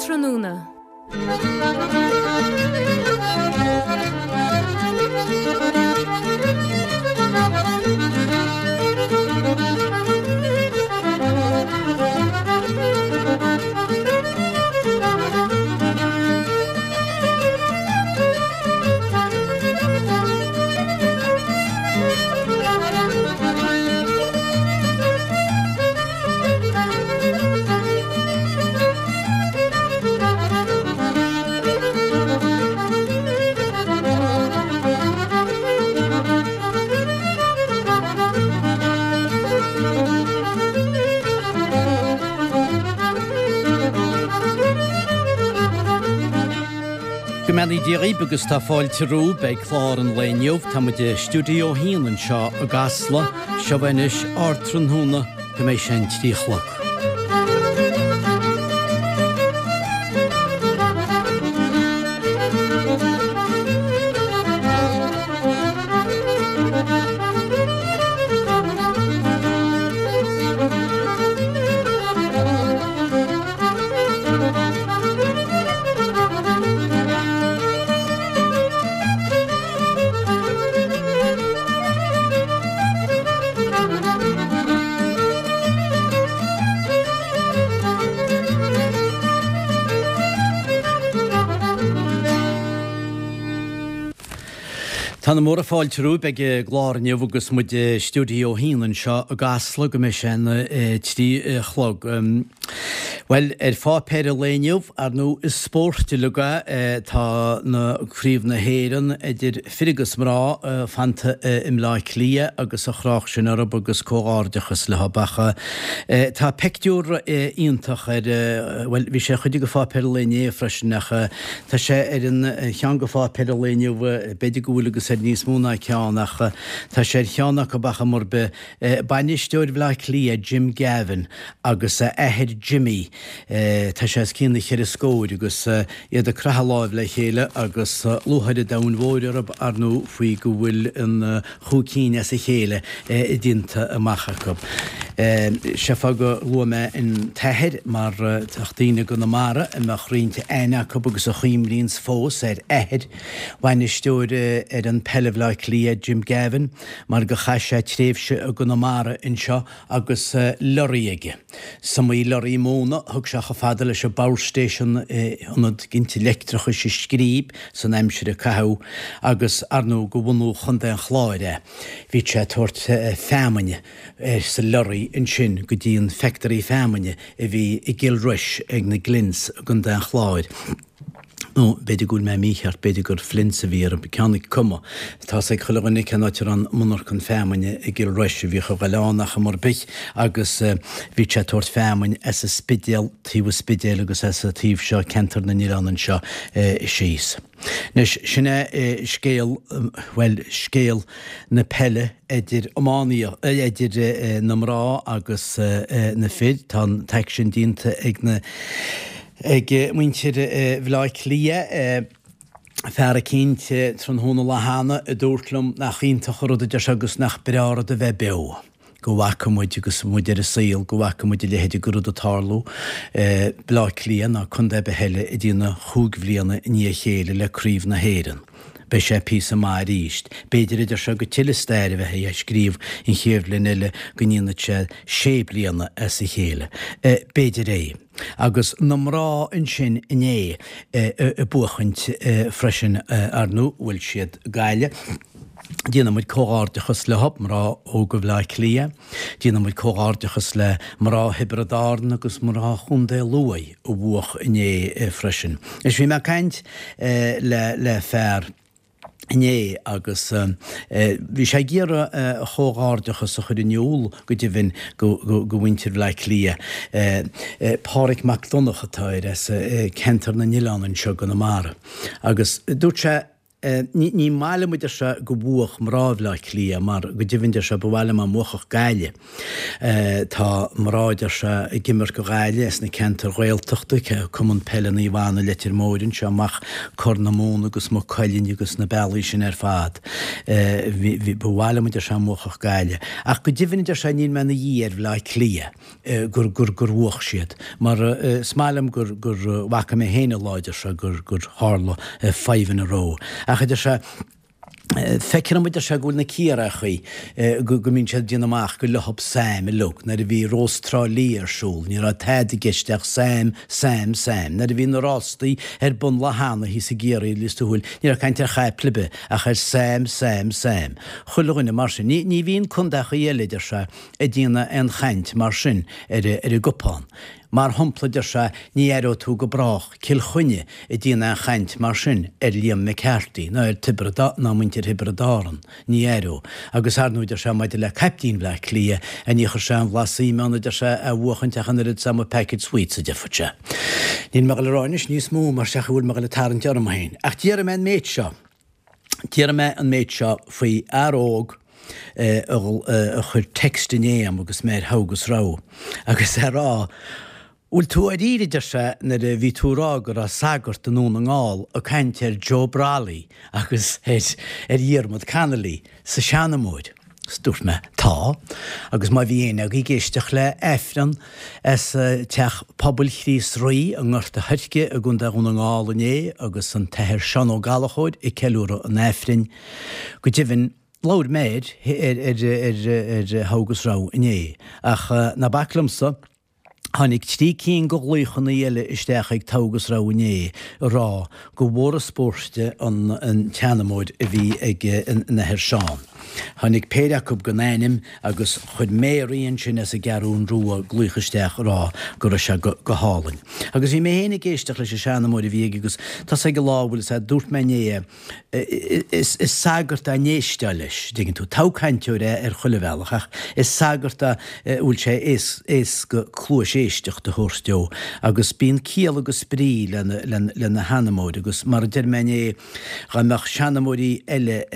Ardtráthnóna. Go mbeannaí Dia dhaoibh agus tá fáilte romhaibh ag clár an lae inniu. Tá muid i Stiúideo 1 anseo i gCasla. Seo anois Ardtráthnóna go mbeidh sé an 3 a chlog. Tá na móra fáilte romhaibh ag an gclár inniu agus muid i Stiúideo 1 anseo i gCasla go mbeidh sé an 3 a chlog. Bhuel, ar pháipéir an lae inniu, ar ndóigh, is spórt uilig é. Tá na Craobh na hÉireann idir fir agus mná fanta i mBleá Cliath agus an chreach sin orthu agus comhghairdeachas leo. Ach tá peictiúr iontach ar, bhuel, bhí sé ar chuid de pháipéir an lae inné freisin ach tá sé ar an cheann de pháipéir an lae inniu, b'fhéidir go bhfuil agus ar níos mó ná ceann ach tá sé ar cheann acu ach mar be Bainisteoir Bhaile Átha Cliath Jim Gavin agus a athair Jimmy, tá sé os cionn na cheithre scóir, agus iad ag croitheadh láimh le chéile agus lúcháir an domhain mhóir orthu, ar ndóigh, faoi go bhfuil an chúig cinn as a chéile déanta amach acu. Sé fáth go luaigh mé an t-athair mar tá daoine i gConamara a mbeadh roinnt aithne acu agus a chuimhníonns fós ar athair bhainisteoir fhoireann peile Bhaile Átha Cliath Jim Gavin, mar go chaith sé tréimhse i gConamara anseo agus lorry aige. Is iomaí lorry móna a thug sé chomh fada leis an bPower Station, ionad ginte leictreachais i Scríb san aimsir a caitheadh agus ar ndóigh de bhunú Chontae an Chláir é. Bhíodh sé ag tabhairt feamainne sa lorry ansin go dtí an factory feamainne a bhí i gCill Rois ag na Glynns i gContae an Chláir. Nó b'fhéidir go bhfuil mé mícheart, b'fhéidir gur Flynn's a bhí orthu, ceann acu cuma. Tá's ag chuile dhuine cén áit a raibh an monarchan feamainne i gCill Rois a bhíodh a ghoil ann ach am ar bith agus bhíodh sé ag tabhairt feamainn as an Spidéal, taobh an Spidéil agus as an taobh seo, ceantar na n-oileán anseo síos. Anois, sin é scéal, bhuel, scéal na peile idir iománaíocht, idir na mná agus na fir. Tá an t-aicsean déanta ag na. Ag muintir Bhaile Átha Cliath, fear eicínt tráthnóna lá cheana a dúirt liom nach iontach an rud a deir sé agus nach breá rud a bheith beo, go bhfaca muid agus muid ar an saol, go bhfaca muid a leithéid de rud ag tarlú, Baile Átha Cliath ná contae ar bith eile ag déanamh chúig bhliana i ndiaidh a chéile le Craobh na hÉireann. Beidh sé píosa maith arís. B'fhéidir a deir sé go tuilleadh stair a bheith á scríobh an chéad bhliain eile go ndéanfaidh sé sé bliana as a chéile. B'fhéidir é. Agus na mná ansin inné ag buachaint freisin ar ndóigh, bhuail siad Gaillimh. Déanann muid comhghairdeachas leo, mná óga Bhaile Átha Cliath. Déanann muid comhghairdeachas le mná Thiobraid Árann agus mná Chontae Lú a bhuach inné freisin. Anois bhí mé ag caint le fear. inné agus bhí sé ag iarraidh a chomhghairdeachas a chur in iúl go deimhin go mhuintir Bhaile Átha Cliath. Páraic Mac Donncha atá air as ceantar na nOileán anseo i gConamara agus dúirt sé. Ní maith liom, a deir sé, go bhuafadh mná Bhaile Átha Cliath mar go deimhin, deir sé, ba mhaith liom dá mbuafadh Gaillimh. Tá mná, a deir sé, ag imirt do Ghaillimh as na ceantair Ghaeltachta, Cumann Peile Naomh Anna Leitir Móir anseo amach Corr na Móna agus Maigh Cuilinn agus na bealaí sin ar fad. Ba mhaith liom, a deir sé, dá mbuafadh Gaillimh. Ach go deimhin, a deir sé, níl mé ina dhiaidh ar Bhaile Átha Cliath. gur gur gur bhuach siad. Mar is maith liom gur gur bhfaca mé féin an lá, a deir sé, gur gur tharla fadhbanna ró. Ach a deir sé, feictear dom, a deir sé, go bhfuil na Ciarraíochaí, go go mbíonn siad ag déanamh amach gur leothab Sam uilig. Nuair a bhí Rós Trá Lí ar siúl, ní raibh tada i gceist ach Sam, Sam, Sam. Nuair a bhí na rástaí ar bun lá cheana thíos i gCiarraí, Lios Tuathail, ní raibh caint ar chaiple ar bith ach ar Sam, Sam, Sam. Chuile dhuine mar sin. Ní ní bhíonn contaechaí eile, a deir sé, ag déanamh aon chaint mar sin ar an gcupán. Mar shampla, deir sé, ní aireoidh tú go brách Cill Chainnigh ag déanamh aon chaint mar sin ar Liam McCarthy ná ar Tiobraid ná muintir Thiobraid Árann, ní aireoidh. Agus ar ndóigh, deir sé, maidir le caiptín Bhaile Átha Cliath, ní chuirfeadh sé aon bhlas suime ann, a deir sé, é a bhuachaint ach an oiread is dá mba packet sweets, a déarfadh sé. Níl mé ag dul a rá anois níos mó mar seachas go bhfuil mé ag dul ag tarraingt orm féin. Ach déarfaidh mé an méid seo. Déarfaidh mé an méid seo faoi fhear óg a chuir text inné a'm agus mé ar Thogh agus Rogha agus é ag rá, Bhfuil tú dháiríre, a deir sé, nuair a bhí tú ag rá go raibh sagart i nDún na nGall ag caint ar Joe Brolly agus ar Dhiarmuid Connolly sa seanamóir. 'S dúirt mé, Tá, agus má bhí éinne agaibh ag éisteacht le Aifreann as Teach Pobail Chríost Rí i nGort a' Choirce i gContae Dhún na nGall inné agus an tAthair Seán Ó Gallchóir ag ceiliúradh an Aifrinn, go deimhin, labhair mé air ar ar Thogh agus Rogha inné. Ach ná bac liomsa. Tháinig 3 cinn de ghlaochanna eile isteach ag Togh agus Rogha inné ag rá gur mhór an spóirt an tseanamóir a bhí ag an Athair Seán. Tháinig péire acu gan ainm agus chuir Mary ansin as an gCeathrún Rua glaoch isteach ag rá go raibh sé go hálainn. Agus bhí mé féin ag éisteacht leis an seanamóir a bhí aige agus tá 's ag an lá a bhfuil 's dúirt mé inné é, Is sagart é a n-éisteá leis, dtuigeann tú. Togha-chainteoir é ar chuile bhealach, ach is sagart é a bhfuil sé éasca cluais éisteachta a thabhairt dó. Agus bíonn ciall agus brí lena sheanamóir, agus mar a deir mé inné, dá mbeadh seanamóirí eile,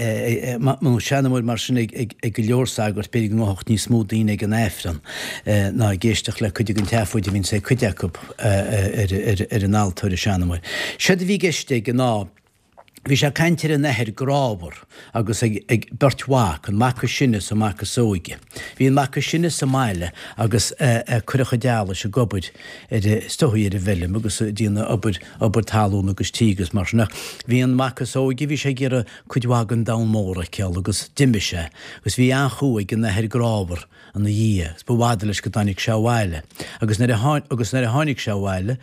nó seanamóir mar sin ag go leor sagart, b'fhéidir go ngabhfadh níos mó daoine ag an Aifreann ná ag éisteacht le cuid den tseafóid a bhíonns ag cuid acu ar an altóir ag seanamóir. Séard a bhí i gceist aige ná, Bhí sé ag caint ar an athair grámhar agus ag beirt mhac, an mac is sine is an mac is óige. Bhí an mac is sine sa mbaile agus é ag cur a chuid allais ag obair ar, is dóigh, ar an bhfeilm agus ag déanamh obair, obair talún agus tí agus mar sin. Ach bhí an mac is óige, bhí sé ag iarraidh cuid mhaith den domhan mór a fheiceáil agus d'imigh sé agus bhí an-chumha ag an athair grámhar ina dhiaidh, agus ba bhfada leis go dtáinig sé abhaile. Agus nuair a agus nuair a tháinig sé abhaile,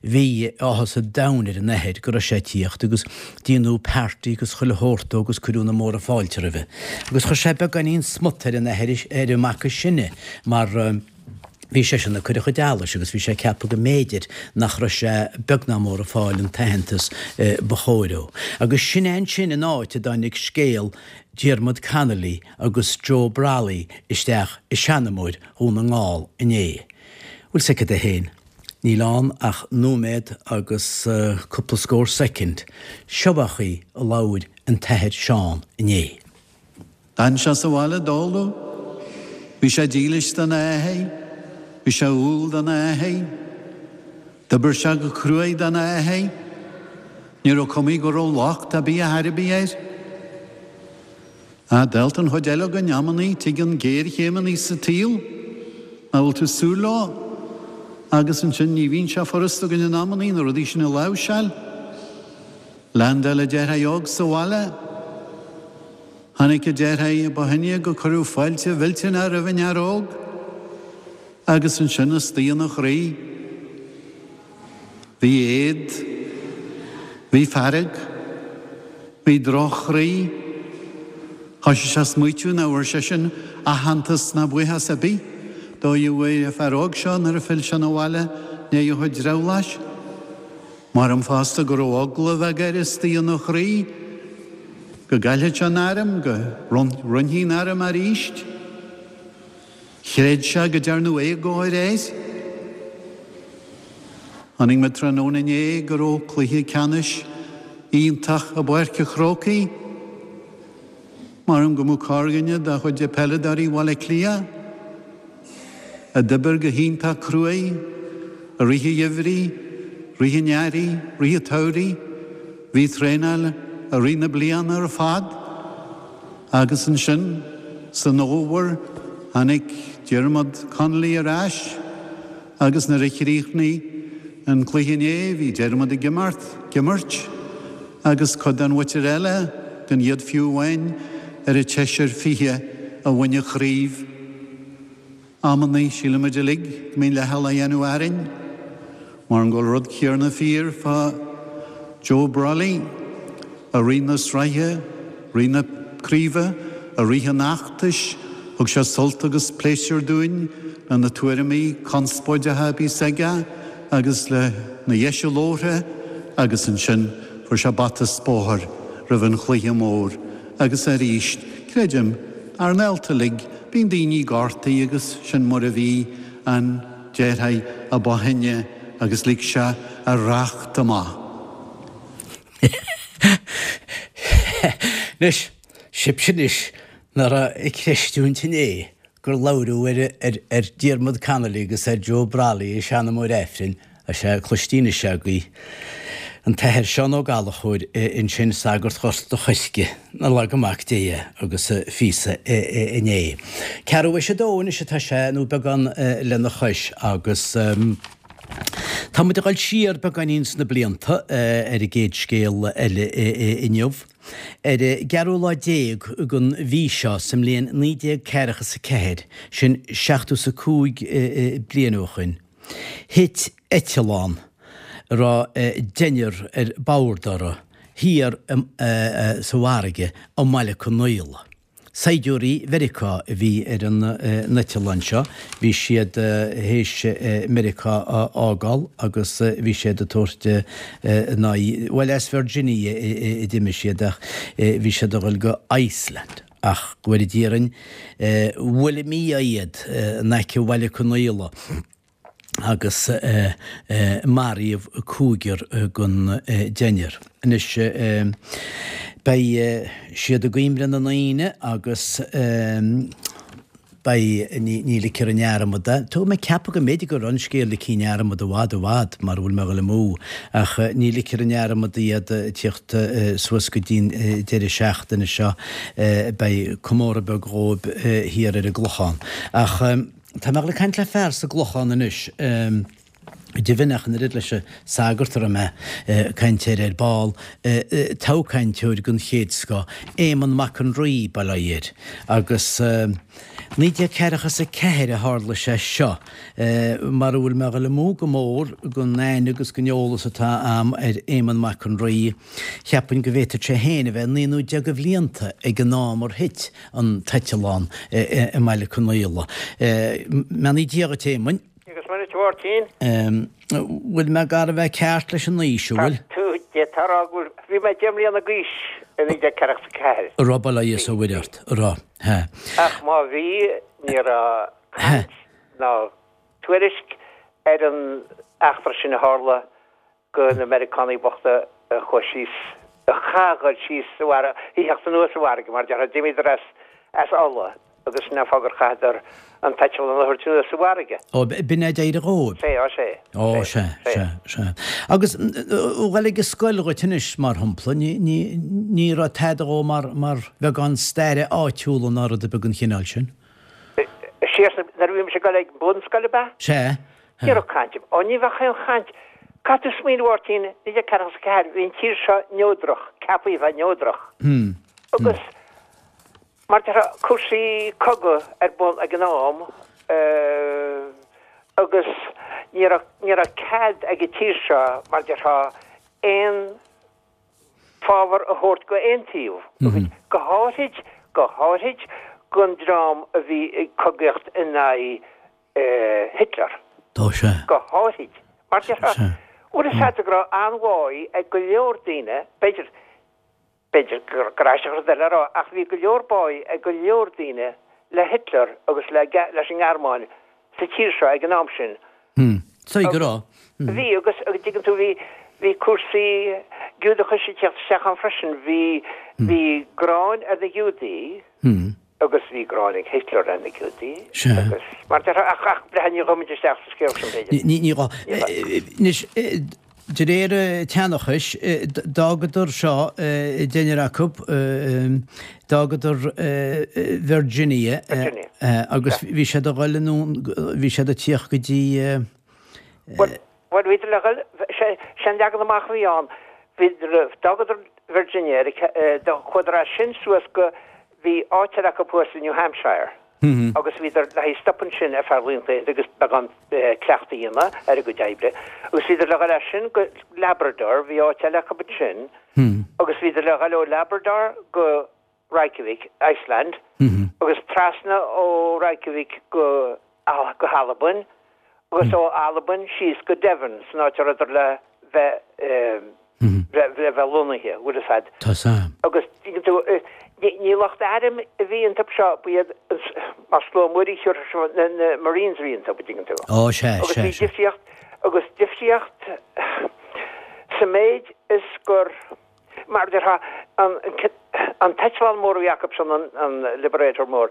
bhí áthas an domhain ar an athair go raibh sé ag tíocht, agus déanadh party agus chuile shórt dó agus cuireadh na móra fáilte roimhe. Agus chuir sé beagáinín smut ar an athair, ar an mac is sine, mar bhí seisean ag cur a chuid allais agus bhí sé ag ceapadh go mb'fhéidir nach raibh sé beag ná mór ag fáil an t-aitheantas ba chóir dó. Agus sin é ansin an áit a dtáinig scéal Diarmuid Connolly agus Joe Brolly isteach i seanamóir Dhún na nGall inné. Bhfuil 's agat é féin? Níl ann ach nóiméad agus cúpla scór soicind. Seo a chaoi a labhair an tAthair Seán inné. D'fhan sé sa bhaile d'ól. Bhí sé dílis don athair. Bhí sé umhal don athair. D'oibir sé go cruaidh don athair. Ní raibh cumaí go raibh locht ar bith a dhath ar bith air. Ach dálta an chuid eile againn amannaí tigeann géarchéimeannaí sa tsaol nach bhfuil tú ag súil leo agus ansin ní bhíonn sé furast againn in amannaí na rudaí sin a láimhseáil. Leaindeáil an deartháir óg sa bhaile. Tháinig an deartháir a ba shine go cuireadh fáilte mhillteanach roimh an fhear óg agus ansin istigh ina chroí. Bhí éad. Bhí fearg. Bhí droch-chroí. Thoisigh sé a smaoitiú nach bhfuair seisean aitheantas ná buíochas ar bith dóigh a bhfuair an fear óg seo nuair a phill sé 'na bhaile i ndiaidh a chuid drabhláis. Maram fosta go raibh eagla bheag air istigh ina chroí go gcaillfeadh sé an arm, go roinnfí an arm aríst. Chreid sé go dtearnadh éagóir air. Chonaic mé tráthnóna inné go raibh cluiche ceannais. iontach i bPáirc a' Chrócaigh. Maram go mbeadh corrdhuine de chuid peileadóirí Bhaile Átha Cliath, a d'oibir go hiontach cruaidh i rith an gheimhridh, rith an earraigh, rith an tsamhraidh, bhí traenáil i rith na bliana ar fad agus ansin san fhómhar tháinig Diarmuid Connolly ar ais agus nuair a chríochnaigh an cluiche inné bhí Diarmuid ag imeacht, ag imirt agus cuid den mhuintir eile gan iad fiú amháin ar an tseisear 20 a bhain an chraobh. Amannaí, sílimid uilig go mbíonn leithcheal á dhéanamh orainn. Maram go bhfuil rud céarna fíor fá Joe Brolly, i rith na sraithe, rith na craoibhe, i rith an fheachtais, thug sé sult agus pléisiúr dúinn le na tuairimí conspóideacha a bhíos aige agus le na dheis a labhartha agus ansin fuair sé bata 's bóthar roimh an chluiche mór agus arís, creidim, ár ngaolta uilig, bíonn daoine gortaithe agus sin mar a bhí an deartháir a ba shine agus lig sé a racht amach. Anois, sibhse anois nach raibh ag creistiúint inné gur labhradh ar ar Diarmuid Connolly agus ar Joe Brolly i seanamóir Aifrinn, sea, cloistí anois agaibh an tAthair Seán Ó Gallchóir ansin, sagart Ghort a' Choirce, nár laga Mac Dé é, agus a phíosa inné. Ceathrú théis a dó anois atá sé, nó beagán lena chois, agus tá muid ag dul siar beagáinín sna blianta ar an gcéad scéal eile inniu. Ar an gceathrú lá déag den mhí seo sa mbliain 1944, sin seachtó is a cúig bliain ó shoin, thit eitleán a raibh deichniúr ar bord orthu thiar sa bhfarraige i mBaile Conaola. Saighdiúirí Mheiriceá a bhí ar an n-eitleán seo. Bhí siad théis Meiriceá a fhágáil agus bhí siad ag tabhairt a n-aghaidh, bhuel as Virginia a d'imigh siad ach bhí siad ag dul go Iceland. Ach go bhfóire Dia orainn, bhuail an mí-ádh iad in aice Bhaile Conaola. agus maraíodh cúigear den deichniúr. Anois beidh siad i gcuimhne na ndaoine agus beidh, ní ligfear i ndearmad é. Tá mé ag ceapadh go mb'fhéidir go raibh an scéal ligthe i ndearmad i bhfad i bhfad mara bhfuil mé ag dul amú ach ní ligfear i ndearmad iad ag tíocht suas go dtí'n deireadh seachtaine seo. Beidh comóradh beag dhóibh thiar ar an gClochán. Ach. Tá mé ag dul ag caint le fear sa gClochán anois, deimhin ach an oiread leis an sagart a raibh mé ag caint air ar ball, toghchainteoir den chéad scoth, Éamonn Mac an Rí, bail ó Dhia air. Agus 1944 a tharla sé seo, mara bhfuil mé ag dul amú go mór den aithne agus den eolas atá a'm ar Éamonn Mac an Rí, cheapfainn go bhféadfadh sé féin a bheith naoi nó deich de bhlianta ag an am ar thit an t-eitleán i mBaile Conaola. Beannaí Dé dhuit, a Éamoinn. Agus Muire duit, a Mháirtín. Bhfuil mé gar a bheith ceart leis an aois, an bhfuil? Tá tú, d'fhéadfá a rá go bhfuil, bhí mé 10 mbliana d'aois i 1944. An raibh, bail ó Dhia is ó Mhuire ort, an raibh, he. Ach má bhí, ní raibh caint ná tuairisc ar an eachtra sin a tharla go na Meiriceánaigh bochta a chuaigh síos, a chaith a dhul síos sa bhfarraige, a theacht anuas sa bhfarraige, mar déarfá, d'imíodar as, as Ulaidh agus sin an fáth gur chaitheadar an t-eitleán a thabhairt anuas sa bhfarraige. Ó, b'in é a d'éirigh dhóibh. Sea, ó sea. Ó, sea, sea, sea. Agus dhul ag an scoil dhuit anois, mar shampla, ní, ní, ní raibh tada dhó mar, mar bheagán staire áitiúla ná rud ar bith den chineál sin? Siar sna, nuair a bhí mise ag dul ag bunscoil, ab ea? Sea. Ní raibh caint. Ó, ní bheadh aon chaint. Caithfidh tú smaoineamh, a Mháirtín, 1944, bhí an tír seo neodrach, ceaptha a bheith neodrach. Agus mar déarfá, cúrsaí cogaidh ar bun ag an am agus ní raibh, ní raibh cead ag an tír seo, mar déarfá, aon fábhar a thabhairt go aon taobh, agus go háithrid, go háithrid don dream a bhí ag cogaíocht in aghaidh Hitler. Tá sé. Go háithrid. Mar déarfá, bhfuil fhios agat go raibh an-bháidh ag go leor daoine, b'fhéidir, b'fhéidir gur aisteach rud eile a rá, ach bhí go leor báidh ag go leor daoine le Hitler agus le, leis an nGearmáin sa tír seo ag an am sin. Sea go raibh. Bhí agus, agus dtuigeann tú, bhí, bhí cúrsaí. Giúdachais ag teacht isteach ann freisin. Bhí, bhí gráin ar na Giúdaí agus bhí gráin ag Hitler ar na Giúdaí agus mar déarfá, ach, ach breithe ní ghabhfaidh muid isteach sa scéal sin b'fhéidir. Ní, ní gá. Anois, de réir an tseanchais, d'fhágadar seo, deichniúr acu, d'fhágadar Virginia agus bhí siad a dhul anonn, bhí siad ag tíocht go dtí. Bhuel, Bhuel, bhíodar le dhul, sé an leagan amach a bhí ann, bhíodar, d'fhágadar Virginia, chuadar as sin suas go, bhí áit eile acu thuas i New Hampshire agus bhíodar le haghaidh stop ansin ar feadh laethanta agus beagán cleachtadh a dhéanamh ar a gcuid oibre agus bhíodar le dhul as sin go Labrador, bhí áit eile acu ansin agus bhíodar le dhul ó Labrador go Reykjavik, Iceland, agus trasna ó Reykjavik go go hAlbain, agus ó Albain síos go Devon, san áit a rabhadar le bheith le bheith lonnaithe, bhfuil fhios a'd. Tá 'fhios a'm. Agus, tuigeann tú, ní lucht airm a bhí iontu seo, ba iad, mar slua muirí na na Marines a bhí iontu, tuigeann tú. Ó, sea, sea, sea. Agus bhí difríocht, agus difríocht sa méid is gur, Mar a déarfá, an t-eitleán mór a bhí acu sin, an Liberator mór,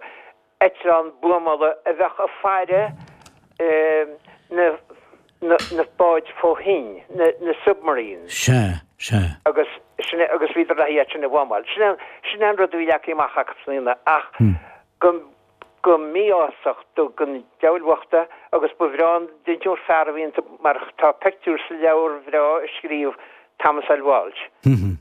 eitleán buamála a bheadh ag faire na báid fó thoinn, na submarines. Sea, sea. Agus sin é, agus bhíodar le iad sin a bhuamáil. Sin é an rud a bhí leagtha amach acu san aoine ach go go mí-ásach do na diabhail bhochta agus ba bhreá an deichniúr fear a bhí iontu mar tá peictiúr sa leabhar bhreá a scríobh Thomas L. Walsh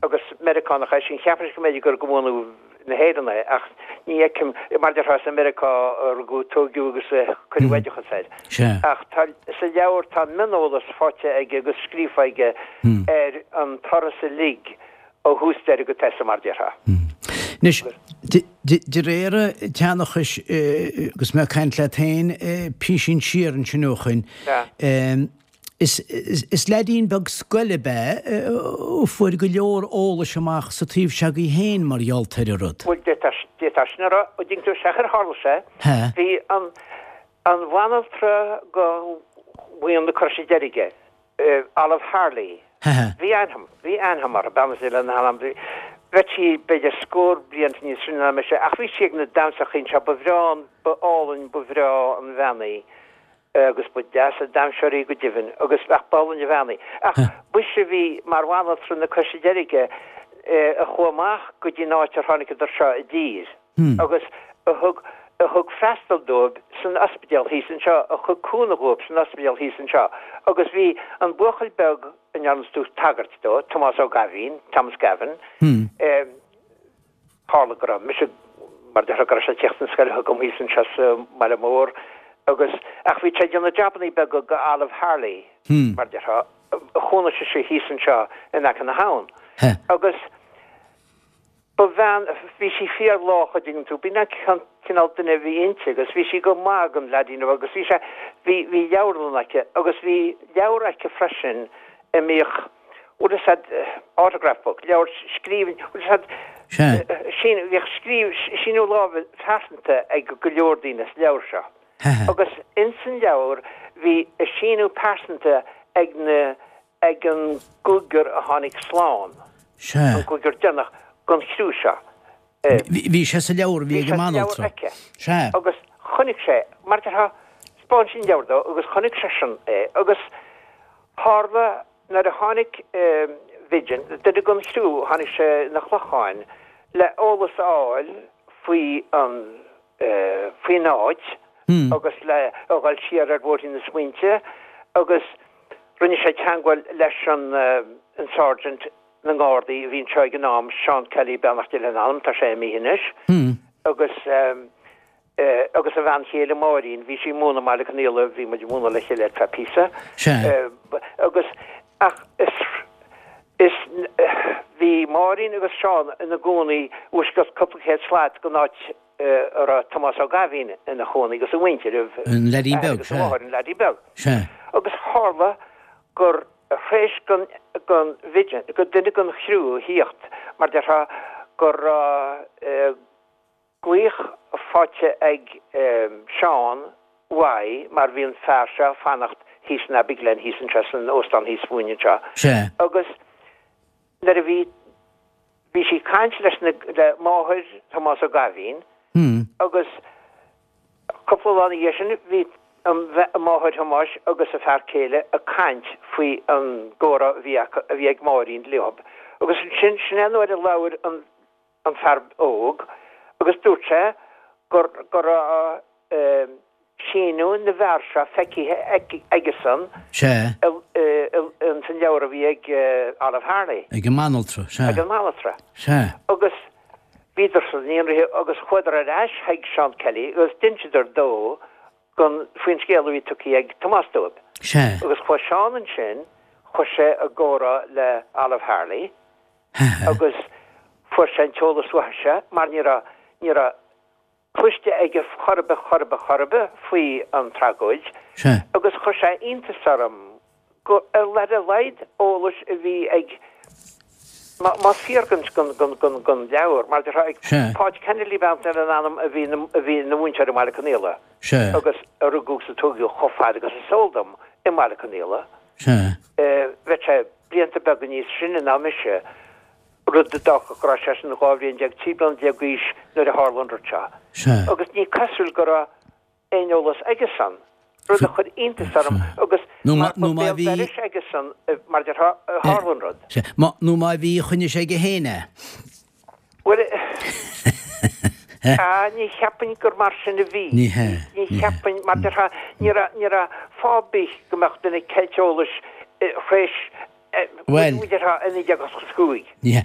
agus Meiriceánach é sin, cheapfainnse go mb'fhéidir gur de bhunadh na hÉireann é ach ní fheicim, mar déarfá is i Meiriceá a rugadh, tóigeadh agus a cuireadh oideachas air. Ach tá, sa leabhar tá mioneolas faighte aige agus scríofa aige ar an turas uilig ó thús deireadh go toiseach mar déarfá. Anois, de réir an tseanchais, agus mé ag caint leat féin písín siar ansin ó shoin, is leaidín beag scoile ab ea a fuair go leor eolais amach sa taobh seo agaibh féin mar gheall ar an rud. Bhuel, d'fhéadfá sin a rá, an dtuigeann tú, sea, ar tharla sé, bhí an bhanaltra go Bhuíon na Croise Deirge, Olive Harley. Bhí aithne, bhí aithne agam uirthi, beannacht Dé lena hanam. Bheadh sí b'fhéidir scór bliain níos sine ná mise, ach bhí sí ag na damhsachaí anseo, ba bhreá an, ba álainn, ba bhreá an bhean í agus ba deas an damhsóir í go deimhin agus ach b'álainn an bhean í. Ach b'ise a bhí mar bhanaltra na Croise Deirge a chuaigh amach go dtí an áit ar tháinigeadar seo i dtír. agus a thug a thug freastal dóibh san ospidéal thíos anseo, a thug cúnamh dhóibh san ospidéal thíos anseo. Agus bhí an buachaill beag a ndearna tú tagairt dó, Tomás Ó Gaibhín, Thomas Gavin, tharla go raibh mise, mar déarfá, go raibh sé ag tíocht chun scoile chugam thíos anseo sa mbaile mór agus, ach bhí sé ag déanamh jabannaí beaga go Olive Harley, mar déarfá, a chónaigh sise thíos anseo in aice na habhann. Agus. Ba bhean, bhí sí fíor lách a' dtuigeann tú, b'in an cineál duine a bhí inti agus bhí sí go maith don leaidín agus bhí sé, bhí, bhí leabharlann aici agus bhí leabhar aici freisin a mbíodh, bhfuil fhios a'd, autograph book, leabhar scríbhinn, bhfuil fhios a'd, sín, bhíodh scríobh, síniú láimhe pearsanta ag go leor daoine sa leabhar seo agus ins an leabhar bhí a síniú pearsanta ag na, ag an gcúigear a tháinig slán, an cúigear deireanach den chriú seo. Bhí sé sa leabhar a bhí ag an mbanaltra. Bhí sé sa leabhar aici. Agus chonaic sé, mar déarfá, 'spáin sí an leabhar dó agus chonaic seisean é agus tharla nuair a tháinig Vidgen, duine den chriú, tháinig sé 'na Chlocháin le eolas a fháil faoi an, faoin áit agus le a dhul siar ar bhóithrín na smaointe agus Rinne sé teangmháil leis an an Sergeant na nGardaí a bhí anseo ag an am, Seán Kelly, beannacht Dé lena anam, tá sé imithe anois, agus agus a bhean chéile Máirín, bhí sí ag múineadh i mBaile Conaola, bhí muid ag múineadh le chéile ar feadh píosa, agus ach is is bhí Máirín agus Seán ina gcónaí uaisceacht cúpla céad slat den áit a raibh Tomás Ó Gaibhín ina chónaí agus a mhuintir, a An leaidín beag, sea. An leaidín beag. Sea. Agus tharla gur th'éis don, don Vidgen, go duine den chriú a thíocht, mar déarfá, go raibh glaoch faighte ag Seán uaidh mar bhí an fear seo ag fanacht thíos in Abbey Glen, thíos anseo san óstán thíos fúinn anseo. Sea. Agus. Nuair a bhí, bhí sí ag caint leis na, le máthair Thomás Ó Gaibhín agus cúpla lá ina dhiaidh sin bhí an, máthair Thomáis agus a fear céile ag caint faoi an gcomhrá a bhí acu, a bhí ag Máirín leo. Agus ansin, sin é an uair a labhair an, an fear óg agus dúirt sé gur, go raibh síniú na bhfear seo feicthe aigesan ins an leabhar a bhí ag Olive Harley. Ag an mbanaltra, sea. Ag an mbanaltra. Sea. Agus bhíodar-san ionraithe agus chuadar ar ais chuig Seán Kelly agus d'inseadar dó gon, faoin scéal a bhí tugtha ag Tomás dóibh. Sea. Agus chuaigh Seán ansin, chuir sé i gcomhrá le Olive Harley agus fuair sé an t-eolas uaithise mar ní raibh, ní raibh cloiste aige chor ar bith, chor ar bith, chor ar bith faoi an tragóid agus chuir sé iontas orm go, ar a laghad eolais a bhí ag, más fíor gon, gon, gon, gon leabhar, mar déarfá, ag Páid Kennedy ba ea an ainm a bhí, a bhí ina mhúinteoir i mBaile Conaola agus a rugadh is a tógadh chomh fada agus is eol dom i mBaile Conaola. Bheadh sé blianta beaga níos sine ná mise. rud a d'fhágfadh go raibh seisean 12 bhliain, 13 bliana d'aois nuair a tharla an rud seo. Sea. Agus ní cosúil go raibh aon eolas aigesan, rud a chuir iontas orm agus Nó mar nó ba má béal bhí. dorais aigesan, mar déarfá, a tharla an rud. Sea. Má, nó má bhí, choinnigh sé aige féin é. Bhuel, ah, ní cheapfainn gur mar sin a bhí. Ní hea. Ní cheapfainn, mar déarfá, ní raibh, ní raibh fáth ar bith go mbeadh duine ag ceilt eolais thréis Bhuel. Bhuel, déarfá i 1985. Ní hea.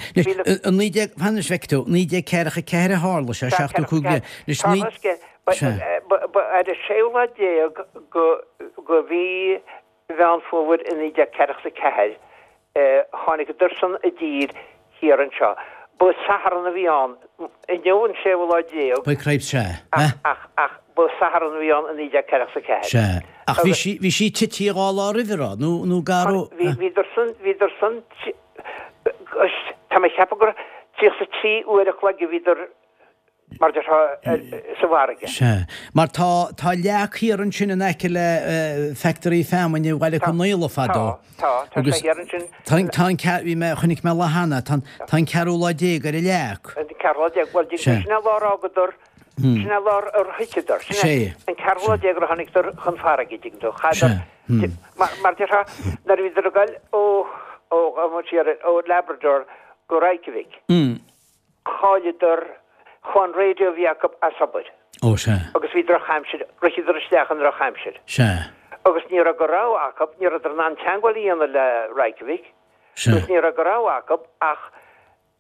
Anois, i 19, fan anois, feicfidh tú, 1944 a tharla sé, 75 bliain. Anois, naoi. Tharla sé, ba, ba ar an séú lá déag go, go mhí Mheán Fómhair i 1944, tháinigeadarsan i dtír thiar anseo. Ba Satharn a bhí ann. Inniu an séú lá déag. By cripes, sea. Ach, ach, ach ba Satharn a bhí ann i 1944. Sea. Ach bhí sí, bhí sí tite dhá lá roimhe, raibh? Nó, nó gar ó. Bhí, bhíodar-san, bhíodar-san, tá mé ag ceapadh gur 33 uair a chloig a bhíodar mar déarfá sa bhfarraige. Sea. Mar tá, tá leac thiar ansin in aice le factory feamainne i Bhaile Conaola fadó. Tá, tá, tá sé thiar ansin. Tá, tá an ceathrú, bhí mé, chonaic mé lá cheana, tá an, tá an ceathrú lá déag ar an leac. An ceathrú lá déag, bhuel, sin é an lá ar fhágadar, sin é an lá ar thiteadar, sin é an ceathrú lá déag ar tháinigeadar chun farraige, dtuigeann tú, chaithfeadar, mar, mar déarfá, nuair a bhíodar ag goil ó, ó, ó Labrador go Reykjavik, Chailleadar, chuaigh an radio a bhí acu as obair. Ó, sea. Agus bhí drochaimsir, ritheadar isteach i ndrochaimsir. Sea. Agus ní raibh de rogha acu, ní rabhadar in ann teagmháil a dhéanamh le Reykjavik. Sea. Agus ní raibh de rogha acu ach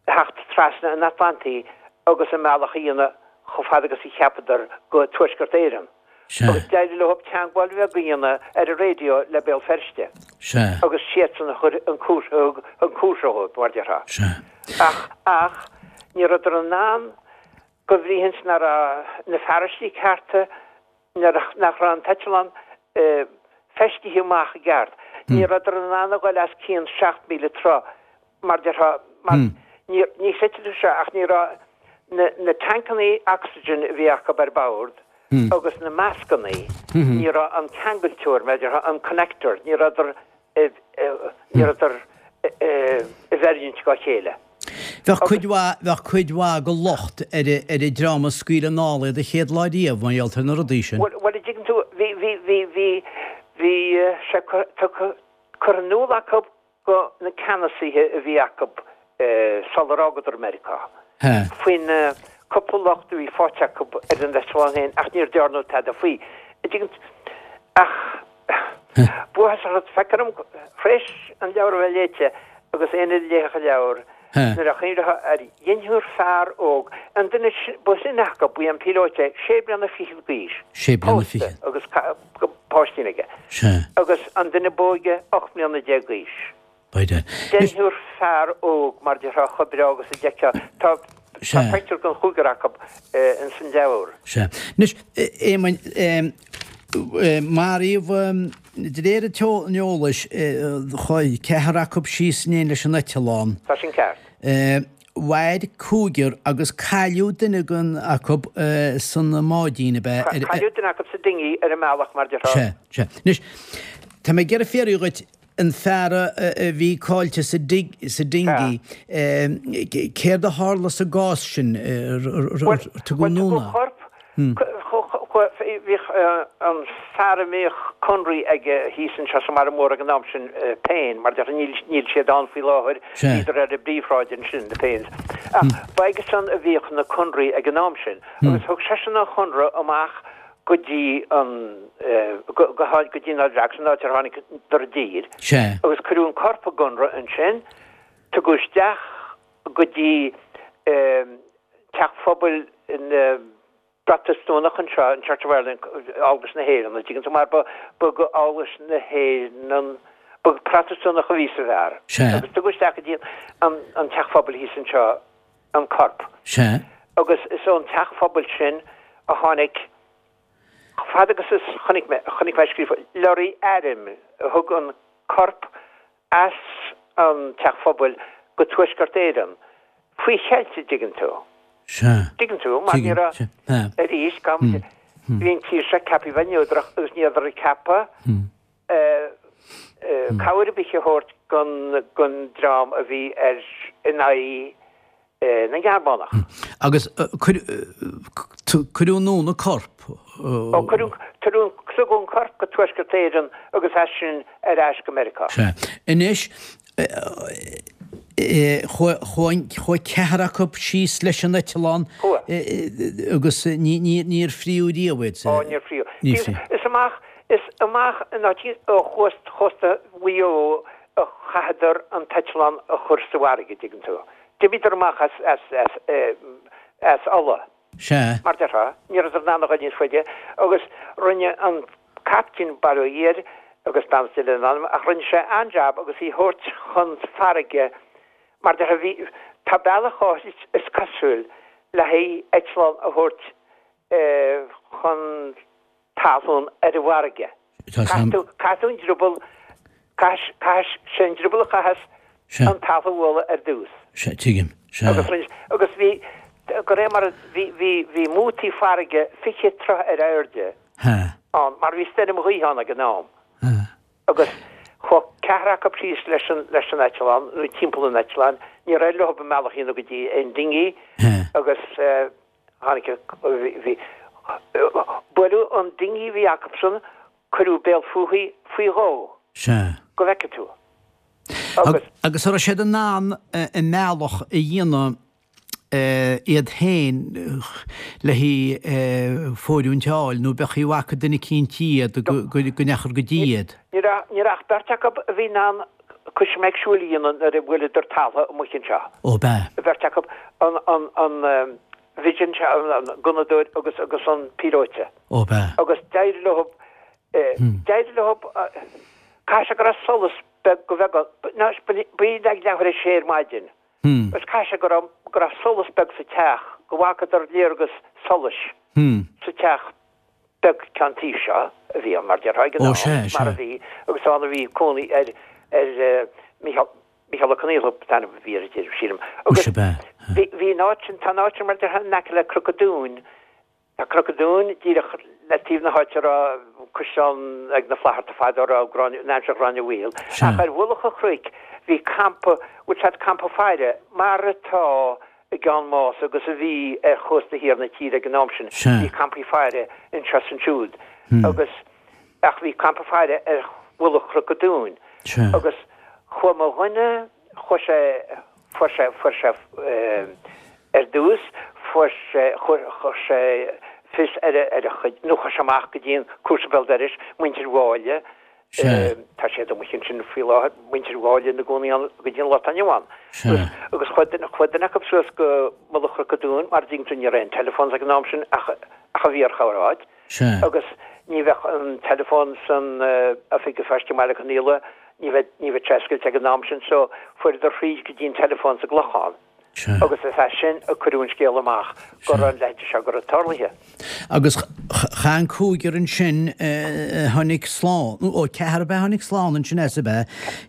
theacht trasna an Atlantaigh agus a mbealach a dhéanamh chomh fada agus a cheapadar go Tuaisceart Éireann. Sea. Agus d'éirigh leo teagmháil bheag a dhéanamh ar an raidió le Béal Feirste. Sea. Agus siadsan a chuir an cúrsa, thug an cúrsa dhóibh, mar déarfá. Sea. Ach, ach, ní rabhadar in ann, go bhrí ins nach raibh na fearaistí cearta, nach raibh an t-eitleán feistithe amach i gceart. Ní rabhadar in ann a ghoil as cionn 7,000 troigh, mar déarfá, mar ní, ní chreidfidh tú seo, ach ní raibh na, na tancannaí oxygen a bhí acu ar bord agus na mascannaí, ní raibh an ceangailteoir, mar déarfá, an connector, ní rabhadar, ní rabhadar i bhfeiriúint dhá chéile. Bheadh cuid mhaith, bheadh cuid mhaith go locht ar ar an dream a scaoil anall iad an chéad lá riamh, mar gheall ar na rudaí sin. Bhuel, bhuel, an dtuigeann tú, bhí, bhí, bhí, bhí, bhí sé tugtha, curtha in iúl acu go na ceannasaithe a bhí acu sular fhágadar Meiriceá faoin cúpla locht a bhí faighte acu ar an eitleán féin ach níor dearnadh tada faoi. Ach buaitheas orthu, feictear dom, th'réis an leabhar a bheith léite agus éinne a léifeadh an leabhar, nuair a chuimhneofá ar dheichniúr fear óg, an duine ba shine acu, ba é an píolóta é, sé bliana fichead d'aois, pósta agus páistín aige, agus an duine b'óige 18 mbliana d'aois. Deichniúr fear óg, mar déarfá, chomh breá agus a d'fheicfeá. Tá pictiúr den chúigear acu ins an leabhar. Sea. Anois, Éamoinn, maraíodh, de réir an eolais, chuaigh ceathrar acu síos in éindí leis an eitleán. Tá sin ceart. Mhair cúigear agus cailleadh duine den acu san mbáidín, ab ea? Cailleadh duine acu sa dinghy ar an mbealach, mar déarfá. Sea, sea. Anois, tá mé ag iarraidh fiafraí dhuit. An fear a bhí caillte sa dinghy, céard a tharla sa gcás sin? Tugadh anonn é? Bhí an fear a mbíodh conraí aige thíos anseo sa mBaile Mór ag an am sin, Payne, mar deir, níl siad ann faoi láthair, bhíodar ar an bpríomhshráid ansin, na Paynes. Ach ba aigesan a bhíodh na conraí ag an am sin agus thug seisean an chonradh amach go dtí an, go, go dtí an Aill Bheag, san áit ar tháinigeadar i dtír. Sea. Agus cuireadh an corp i gconradh ansin, tugadh isteach go dtí teach phobail na bProtastúnach anseo, an Church of Ireland, Eaglais na hÉireann, an dtuigeann tú, mar ba, ba go Eaglais na hÉireann, ba Protastúnach a bhí sa bhfear. Sea. Agus tugadh isteach go dtí an, an teach phobail thíos anseo an corp. Sea. Agus is ón teach phobail sin a tháinig, chomh fada agus is chonaic mé, chonaic mé scríofa, lorry airm a thug an corp as an teach phobail go Tuaisceart Éireann, faoi cheilt, a dtuigeann tú. Sea. Tuigeann tú, mar ní raibh, arís, gan, bhí an tír seo ceaptha a bheith neodrach agus ní rabhadar ag ceapadh cabhair ar bith a thabhairt don dream a bhí ar in aghaidh na nGearmánach. Agus cuireadh anonn an corp? Ó, cuireadh, tugadh an corp go Tuaisceart Éireann agus as sin ar ais go Meiriceá. Sea. Anois, chuaigh ceathrar acu síos leis an eitleán agus níor fríodh riamh iad. Ó, níor fríodh. Is amach, is amach in áit ó chósta Mhaigh Eo a chaitheadar an t-eitleán a chur sa bhfarraige, dtuigeann tú. D'imíodar amach as, as, as, as Ulaidh. Sea. Mar déarfá, ní rabhadar in ann a ghoil níos faide agus rinne an captaen, bail ó Dhia air agus beannacht Dé lena anam, ach rinne sé an-jab agus í thabhairt chun farraige mar déarfá, bhí, tá bealach áithrid is cosúil le haghaidh eitleán a thabhairt chun talún ar an bhfarraige. Caithfidh tú, caithfidh tú an drioball, caithfidh, caithfidh, sé an drioball a chaitheas an talamh a bhualadh ar dtús. Sea, tuigim. Sea. Agus rinne, agus bhí, de réir mar a, bhí, bhí, bhí mótaí farraige 20 troigh ar airde ann, mar bhí stoirm ghaoithe ann ag an am. Agus chuaigh ceathrar acu síos leis an, leis an eitleán, nó timpeall an eitleáin, níor éirigh leo a mbealach a dhéanamh go dtí an dinghy agus eh, Tháinig, bhí, buaileadh an dinghy a bhí acusan, cuireadh béal fúithi faoi dhó. Sea. Go bhfeice tú. Agus. Agus an raibh siad in ann a mbealach a dhéanamh iad féin le haghaidh fóiriúint a fháil nó b'fhéidir go bhfaca duine eicínt iad go ndeachadar go dtí iad? Ní raibh, ní raibh ach beirt acu a bhí in ann coisméig siúil a dhéanamh nuair a bhuaileadar talamh amuigh anseo. Ó b'ea. An bheirt acu, an, an, an Vigeant, an gunnadóir agus, agus an píolóta. Ó b'ea. Agus d'éirigh leo, d'éirigh leo, caithfidh sé go raibh solas beag go bheag ann, ná, ba í ag leathuair a sé ar maidin. Agus caithfidh sé go raibh, go raibh solas beag sa teach, go bhfacadar léargas solais sa teach. beag ceann tí seo a bhí ann, mar déarfá, ag an am, mar a bhí, agus ann a bhí cónaí ar, ar Mícheál, Mícheál Ó Conaola an t-ainm a bhí air, sílim. Agus bhí, bhí an áit sin, tá an áit sin mar déarfá in aice le Cnoc an Dúin, tá Cnoc an Dúin díreach le taobh na háite a raibh caisleán ag na Flatharta fadó, a raibh Gráinne, in aimsir Ghráinne Mhaol. Ach ar mhullach an chnoic bhí campa, bhfuil 's a'd campa faire, mar atá i gCeann Mása agus a bhí ar chósta thiar na tíre ag an am sin. Bhí campaí faire anseo is ansiúd agus ach bhí campa faire ar mhullach Chnoc an Dúin agus chuaigh mo dhuine, chuaigh sé, fuair sé, fuair sé ar dtús, fuair sé, chuir, chuir sé fios ar a, ar a chuid, nó chuaigh sé amach go dtí an cúrsa béal dorais, muintir Mháille, Tá siad amuigh ansin faoi láthair, muintir Mháille ina gcónaí ann go dtí an lá atá inniu ann. Agus chuaigh duine, chuaigh duine acu suas go mullach Chnoc an Dúin, mar a dtuigeann tú ní raibh aon telephones ag an am sin ach ach a bhí ar chorr áit. Agus ní bheadh an telephone san oifig an phoist i mBaile Conaola, ní bheadh, ní bheadh sé oscailte ag an am sin so fuaireadar thríd go dtí an telephone sa gClochán. Agus is as sin a cuireadh an scéal amach go raibh an leithéid seo go raibh tarlaithe. Agus cha an cúigear ansin a tháinig slán, ó ceathrar ab ea a tháinig slán ansin as ab ea?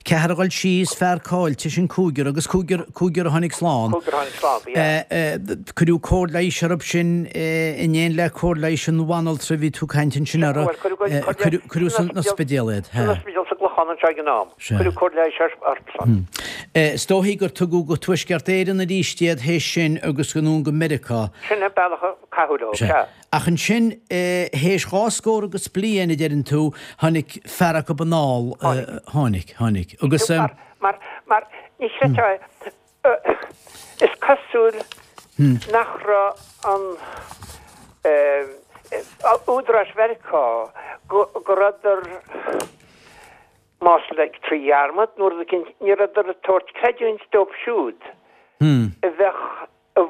Ceathrar a ghoil síos, fear caillte, sin cúigear, agus cúigear, cúigear a tháinig slán. Cúigear a tháinig slán, ba ea. Cuireadh cóir leighis orthu sin in éineacht le cóir leighis an bhanaltra a bhí tú ag caint ansin orthu. Bhuel, cuireadh, cuireadh san ospidéal iad. San ospidéal sa gClochán. gClochán anseo ag an am. Cuireadh cóir leighis orthusan. Is dóichí gur tugadh go Tuaisceart Éireann arís iad théis sin agus anonn go Meiriceá. Sin an bealach a caitheadh leo, sea. Ach ansin, théis dha scór agus bliain, a deireann tú, tháinig fear acu anall. Tháinig. Tháinig, tháinig. Agus. Mar, mar, mar, ní chreidfeá é, is cosúil nach raibh an, údaráis Mheiriceá, go, go rabhadar, más like trí dhearmad nó rud eicínt, ní rabhadar ag tabhairt creidiúint dóibh siúd a bheadh, a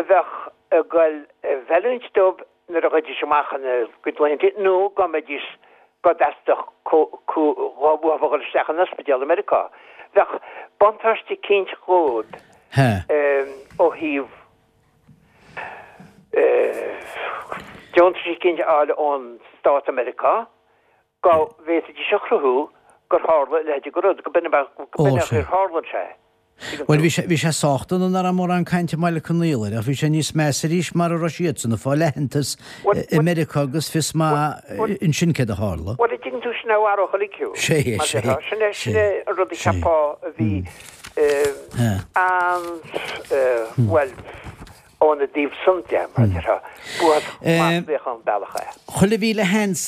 bheadh ag goil i bhfeiliúint dóibh nuair a ghabhaidís amach ina gcuid laethanta nó dá mbeidís, dá dteastódh uathu a dhul isteach in ospidéal i Meiriceá. Bheadh buntáiste eicínt dhóibh ó thaobh deontais eicínt a fháil ón stát i Meiriceá. Dá bhféadfaidís a chruthú gur tharla a leithéid de rud, go b'in an chaoi ar tharla sé. Tuigeann Bhuel, tú? bhí sé sách dona nach raibh mórán cainte i mBaile Conaola air, ach bhí sé níos measa arís mara raibh siadsan ag fáil aitheantas i Meiriceá agus fios maith ansin céard a tharla. Bhuel, an dtuigeann tú, sin é a mharódh uilig thú, Sé, mar sé, déarfá. Sin é, sé, sin é an rud a sé. cheapfá a bhí an, bhuel, Óna dtaobh san de, mar a déarfá, b'uafásach maslaíoch an bealach é. Chuile mhíle sheans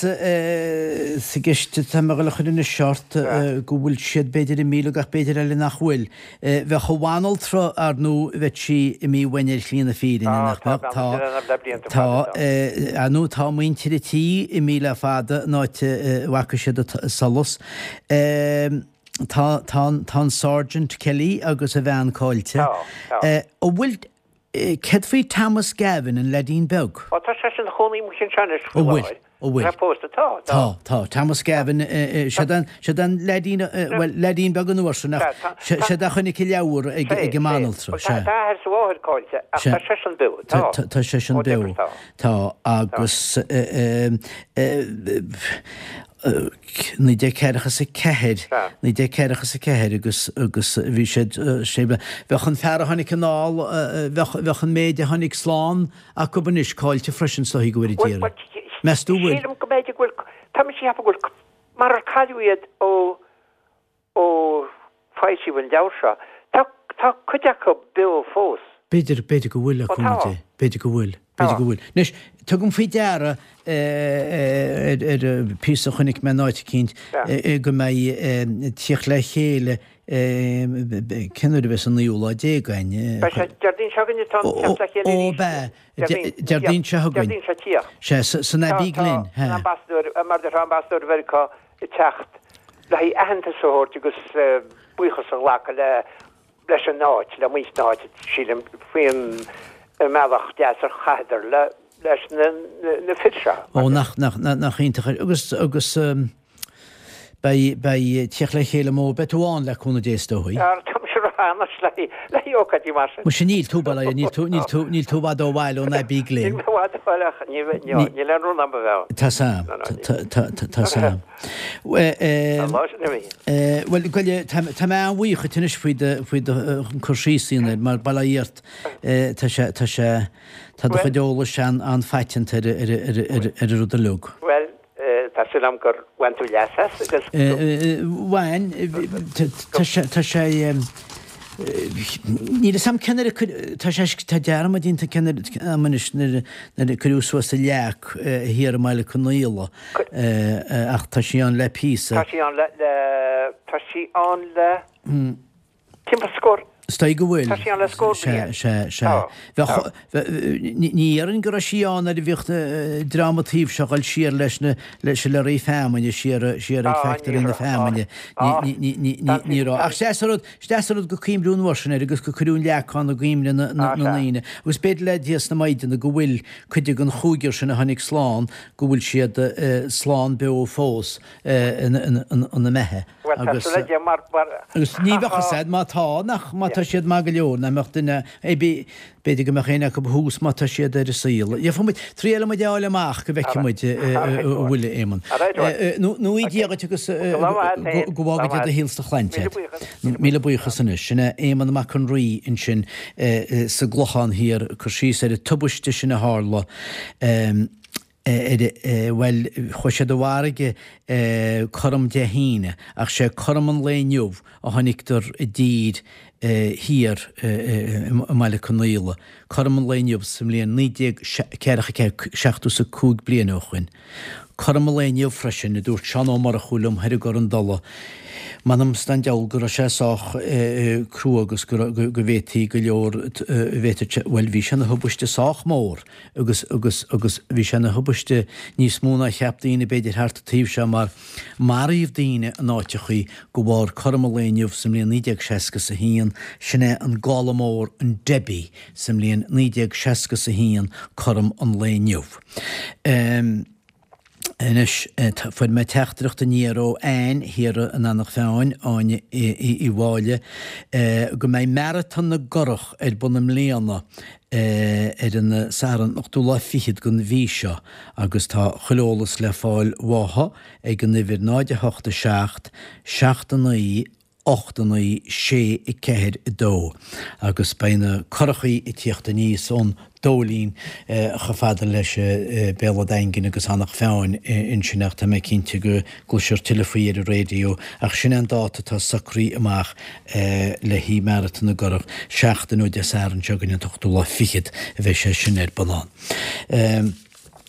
sa gceist atá mé ag dul a chur anois ort, go bhfuil siad b'fhéidir imithe uilig ach b'fhéidir eile nach bhfuil. Bheadh an bhanaltra, ar ndóigh, bheadh sí imithe uainn ar shlí na fírinne, nach Tá, mbeadh? tá, Tá, beannacht Dé lena le blianta tá, fada, tá. ar ndóigh, tá muintir an tí imithe le fada, an áit a bhfaca siad an solas. Tá, tá, tá an Sergeant Kelly agus a bhean caillte. Tá, tá. An bhfuil, Céard faoi Thomas Gavin, an leaidín beag? Ó, tá seisean ina chónaí amuigh anseo anois faoi An bhfuil? láthair. An bhfuil? Tá pósta, tá, tá. Tá, tá. Thomas Gavin, siad an, siad an leaidín, bhuel, leaidín beag an uair sin ach Sea, tá, tá. siad a chonaic an leabhar ag, Sea, ag an sea. mbanaltra, Bhuel, tá, sea. tá a athair is a mháthair caillte ach Sea. tá seisean beo, tá. Tá, tá seisean Ó, beo. deifir, tá. Tá, agus, eh, eh, 1944, 1944 agus agus bhí siad sé bheadh an fear a tháinig anall bheadh bheadh an méid a tháinig slán acu anois caillte freisin is dóichí go bhfuil Bhuel, deireadh. Meas tú bhfuil? Sílim go mb'fhéidir go bhfuil, tá mise ag ceapadh go bhfuil, marar cailleadh iad ó Ó foilsíodh an leabhar seo, tá, tá cuid acu beo fós. B'fhéidir, b'fhéidir go bhfuil, a Ó tá. chúnamh Dé. B'fhéidir go bhfuil. B'fhéidir go bhfuil. Anois, tugaim faoi deara ar, ar phíosa a chonaic mé in áit eicínt, go mbeidh tíocht le chéile, cén uair a bheas an naoú lá déag againn? Beidh sé Déardaoin seo chugainn atá an teacht le chéile Ó, arís. bea, Déardaoin, Déardaoin seo chugainn. Déardaoin seo tíocht. Sea, san Abbey Glen. Tá, tá an ambasadóir, mar a déarfá, ambasadóir Mheiriceá ag teacht le haghaidh aitheantas a thabhairt agus buíochas a ghlacadh le leis an áit, le muintir na háite, sílim, faoin mbealach deas ar chaitheadar le leis na na fir seo. Ó, nach, nach, nach iontach é. Agus, agus beidh, beidh tíocht le chéile mór, beidh tú ann le cúnamh Dé is dóigh. Tá mise róshean anois le le haghaidh ócáidí mar sin. Muise níl tú, bail ó Dhia, níl tú, níl tú, níl tú i bhfad ó bhaile ón Abbey Glen. Níl mé i bhfad ó bhaile ach níl, níl, níl aon rún agam a bheith ann. Tá sam, tá, tá, tá, tá sam. Bhuel, Goile, tá mé an-bhuíoch dhuit anois faoi do, faoi do cur síos a dhéanamh air, mar bail ó Dhia ort, tá sé, tá sé, tá do chuid eolais an-phaiteanta ar, ar, ar, ar, ar an rud uilig. Bhuel, tá súil agam gur bhain tú leas as agus go. Bhain, tá sé, tá sé, níl fhios a'm cén uair a cuireadh, tá sé, tá dearmad déanta cén uair a'm anois nuair a cuireadh suas an leac thiar i mBaile Conaola ach tá sí ann le píosa. Tá sí ann le, le, tá sí ann le timpeall scór. Is dóigh go bhfuil. Tá sí ann le scór bliain. Sea, sea, sea. Tá, Bheadh, tá. ní dhéarfainn go raibh sí ann nuair a bhíodh dream an taobh seo ag dul siar leis na, leis le ré feamainne, siar, siar ag Á, ní factory na raibh, á, feamainne. á, Ní, ní, ní, ní, tá ní raibh. Ach is deas an rud, Is deas an rud gur cuimhniú an uair sin air agus gur cuireadh an leac ann i gcuimhne na ndaoine. Agus b'fhéidir le Dia is na Maighdine go bhfuil cuid den chúigear sin a tháinig slán, go bhfuil siad slán beo fós ina mbeatha. Bhuel, tá súil le Dia mar, mar, Agus ní bheadh fhios a'd má tá, nach, má tá siad maith go leor, nach mbeadh duine ar bith, B'fhéidir go mbeadh éinne acu thuas má tá siad ar an saol. Gheobhaidh muid, triailfidh muid a fháil amach go bhfeicfidh muid a bhfuil, a Éamonn. Nó í Dia dhuit agus go bhfága Dia do shaol is do chlainn iad. Míle buíochas anois. Sin é Éamonn Mac an Rí ansin sa gClochán Thiar ag cur síos ar an tubaiste sin a tharla. Bhuel, chuaigh siad i bhfarraige cothrom Dé hAoine, ach sé cothrom an lae inniu a tháinig-dar i dtír thiar i mBaile Conaola, cothrom an lae inniu sa mbliain 1944, 75 bliain ó shoin. Cothrom an lae inniu freisin, a dúirt Seán Ó Murchú liom thoir i gCorr an Dola, m'anam 's don diabhal go raibh sé sách crua agus go bhféadfaí go leor, bhféadfadh sé, bhuel bhí sé ina thubaiste sách mór agus, agus, agus bhí sé ina thubaiste níos mó ná cheap daoine b'fhéidir thart an taobh seo mar maraíodh daoine in áiteachaí de bharr cothrom an lae inniu sa mbliain 1961, sin é an gála mór an Debbie sa mbliain 1961 cothrom an lae inniu. Anois, fuair mé teachtaireacht aniar ó Anne thiar in Eanach Mheáin, Áine Uí Mháille, go mbeidh Maratón na gCurrach ar bun i mbliana ar an Satharn an ochtú lá fichead den mhí seo agus tá chuile eolas le fáil uathu ag an uimhir 0 8 7 7 9 8 9 6 4 2 agus beidh na curachaí ag tíocht aníos ón Dóilín chomh fada leis Béal a' Daingin agus Eanach Mheáin ansin ach tá mé cinnte go gcloisfear tuilleadh faoi ar an raidió ach sin é an dáta atá socraithe amach le haghaidh Maratón na gCurrach, seachtain ó Dé Sathairn seo chugainn an t-ochtú lá fichead a bheidh sé sin ar bun ann.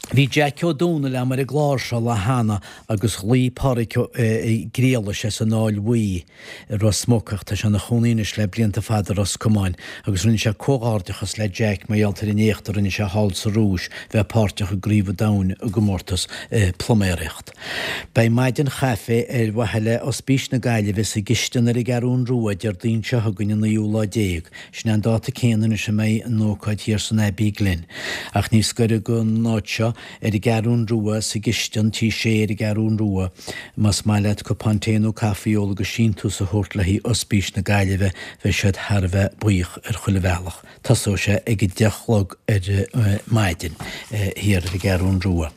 Bhí Jeaic Ó Dónaill a'm ar an gclár seo lá cheana agus ghlaoigh Pádraic Ó Griallais as an Fháil Bhuí i Ros Muc ach tá sé ina chónaí anois le blianta fada i Ros Comáin agus rinne sé comhghairdeachas le Jeaic mar gheall ar an éacht a rinne sé thall sa Rúis bheith páirteach i gCraobh an Domhain i gcomórtas pluiméireacht. Beidh maidin chaife ar mhaithe le Ospís na Gaillimhe sa gCistin ar an gCeathrún Rua Déardaoin seo chugainn an naoú lá déag. Sin é an dáta céanna anois a mbeidh an ócáid thiar san Abbey Glen. Ach níos gaire don áit seo, ar an gCeathrún Rua, sa gCistin, Tí Sé ar an gCeathrún Rua, más maith leat cupán tae nó caife a ól agus síntiús a thabhairt le haghaidh Ospís na Gaillimhe, bheidh siad thar a bheith buíoch ar chuile bhealach. Tosóidh sé ag a deich a chlog ar maidin thiar ar an gCeathrún Rua.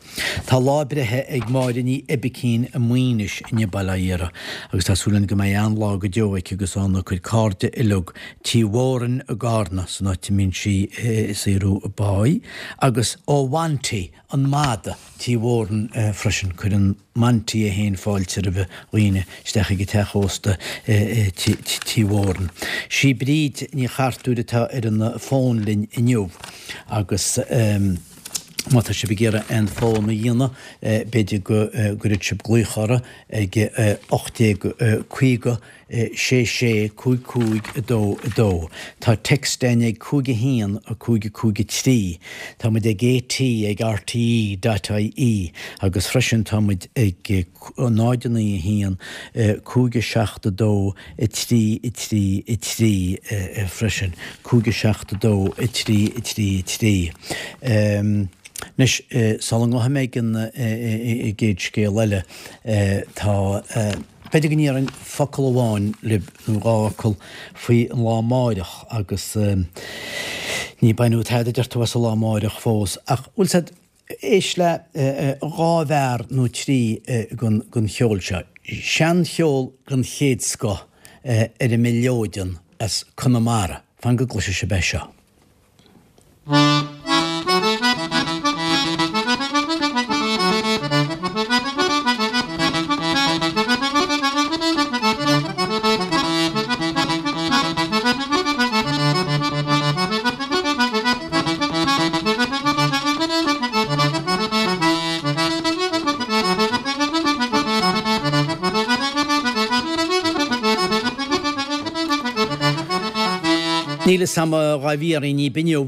Tá lá breithe ag Máire Ní Oibicín i Maínis inniu bail ó Dhia uirthi agus tá súil againn go mbeidh an-lá go deo aici agus óna cuid cairde uileag Tí Mhórain i gCarna san áit a mbíonn sí ag saothrú a páí agus ó Mhonty an mada Tí Mhórain freisin. Cuireann Monty é féin fáilte roimh dhaoine isteach ag an teach ósta Tí Mhórain. Sí Bríd Ní Chartúir atá ar an bhfón linn inniu agus. Má tá sibh ag iarraidh aon fón a dhéanamh, b'fhéidir go gcuirfeadh sibh glaoch orthu ag 1850 6 6 5 5 2 2. Tá text againn ag 5 1 5 5 3. Tá muid ag AT ag RTE dot IE agus freisin tá muid ag 0 9 1 5 7 2 3 3 3 freisin, 5 7 2 3 3 3. Anois, sula ngabhfaidh mé ag an gcéad scéal eile, tá, b'fhéidir go ndéarfainn focal amháin libh, nó dhá fhocal, faoi an lá amáireach agus ní baineadh tada deir tú as an lá amáireach fós, ach bhfuil 's a'd, Éist le dhá mhear nó trí den cheol seo. Seancheol den chéad scoth ar an mileoidean as Conamara. Fan go gcloisfidh sibh é seo. Níl fhios a'm dhá bhfiafraínn dhíbh inniu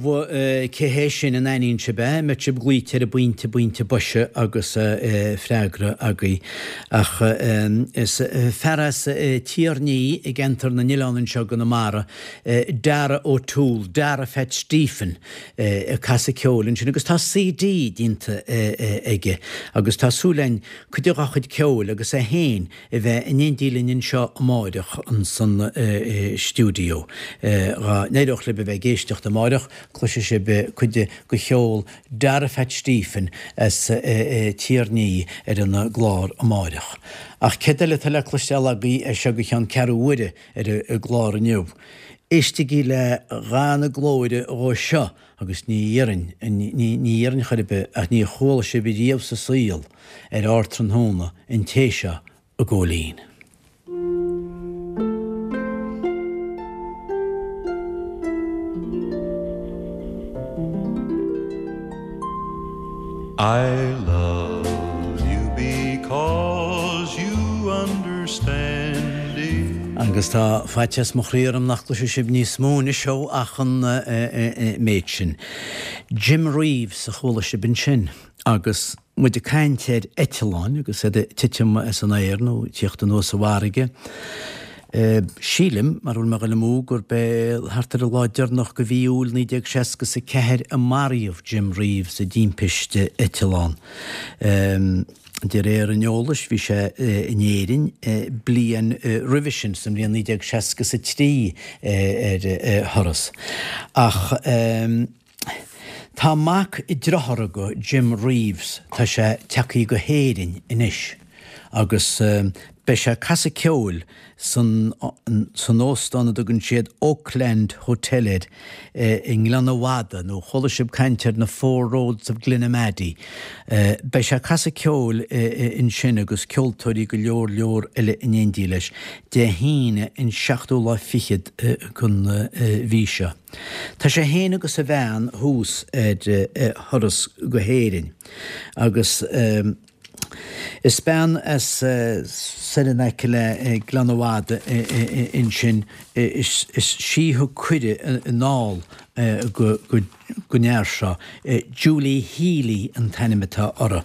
cé hé sin an aithníonn sibh é, an mbeadh sibh glaoite ar an bpointe, bpointe boise agus freagra agaibh. Ach is fear as Tír an Fhia i gceantar na nOileán anseo i gConamara Dara O'Toole, Dara Phat Stephen, ag casadh ceoil ansin agus tá CD déanta aige agus tá súil againn cuid dá chuid ceoil agus é féin a bheith in éindí linn anseo amáireach ansan stiúideo. Dhá n-éireodh libh a bheith ag éisteacht amáireach, cloisfidh sibh cuid de cheol Dara Phat Stephen as Tír an Fhia ar an gclár amáireach. Ach céard eile atá le cloisteáil agaibh as seo go ceann ceathrú uaire ar an gclár inniu? Éistigí le dhath na glóire dhó seo agus ní dhéarfainn, ní dhéarfainn chor ar bith ach ní chuala sibh riamh sa saol ar ardtráthnóna an té seo a Ghóilín. I love you because you understand it. Agus tá faitíos mo chroí orm nach gcloisfidh sibh níos mó anois ó ach an méid sin. Jim Reeves a chuala sibh ansin agus muid ag caint ar eitleáin agus iad ag titim as an aer nó ag tíocht anuas sa bhfarraige. Sílim, mara bhfuil mé ag dul amú, gurb é thart ar an lá deireanach de mhí Iúil 1964 a maraíodh Jim Reeves i dtimpiste eitleán. De réir an eolais, bhí sé in Éirinn bliain roimhe sin, sa mbliain 1963 ar thuras. Ach. Tá mac dearthár aige Jim Reeves, tá sé tagthaí go hÉirinn anois agus beidh sé ag casadh ceoil san san óstán a dtugann siad Oakland Hotel air i nGleann a' Mhada, nó chuala sibh caint ar na Four Roads of Glenamaddy. Beidh sé ag casadh ceoil ansin agus ceoltóirí go leor leor eile in éindí leis, Dé hAoine an seachtú lá fichead den mhí seo. Tá sé fhéin agus a bhean thuas ar thuras go hÉirinn agus is bean as soir in aice le Gleann a' Mhada ansin, is sí a thug cuireadh anall don fhear seo, Julie Healy an t-ainm atá uirthi.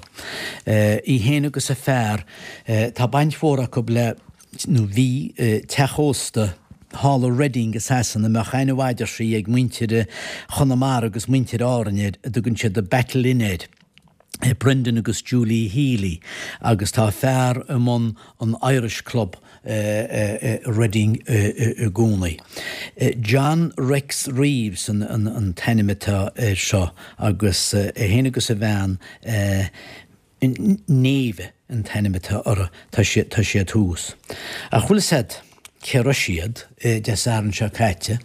Í fhéin agus a fear, tá baint mhór acu le. nó bhí, teach ósta thall i Reading i Sasana a mbeadh aithne mhaith deir sí ag muintir Chonamara agus muintir Árainn air, a dtugann siad The Battle Inn air. Brendan agus Julie Healy agus tá a fear i mbun an Irish Club i Reading i gcónaí. John Rex Reeves an t-ainm atá air seo agus é féin agus a bhean, Neve an t-ainm atá orthu, tá siad, tá siad thuas. Ach bhfuil fhios a'd cé raibh siad Dé Sathairn seo caite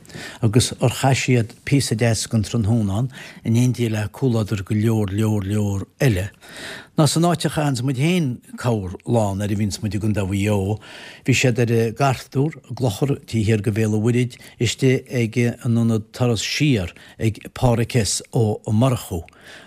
agus ar chaith siad píosa deas den tráthnóna ann in éindí le comhluadar go leor leor leor eile. Ná san áit a chaitheanns muid féin corr lá nuair a bhíonns muid i gContae Mhaigh Eo, bhí siad ar an gCartúr, i gClochar, taobh thiar de Bhéal an Mhuirthid, istigh ag an ionad Turas Siar ag Pádhraic S. Ó Murchú.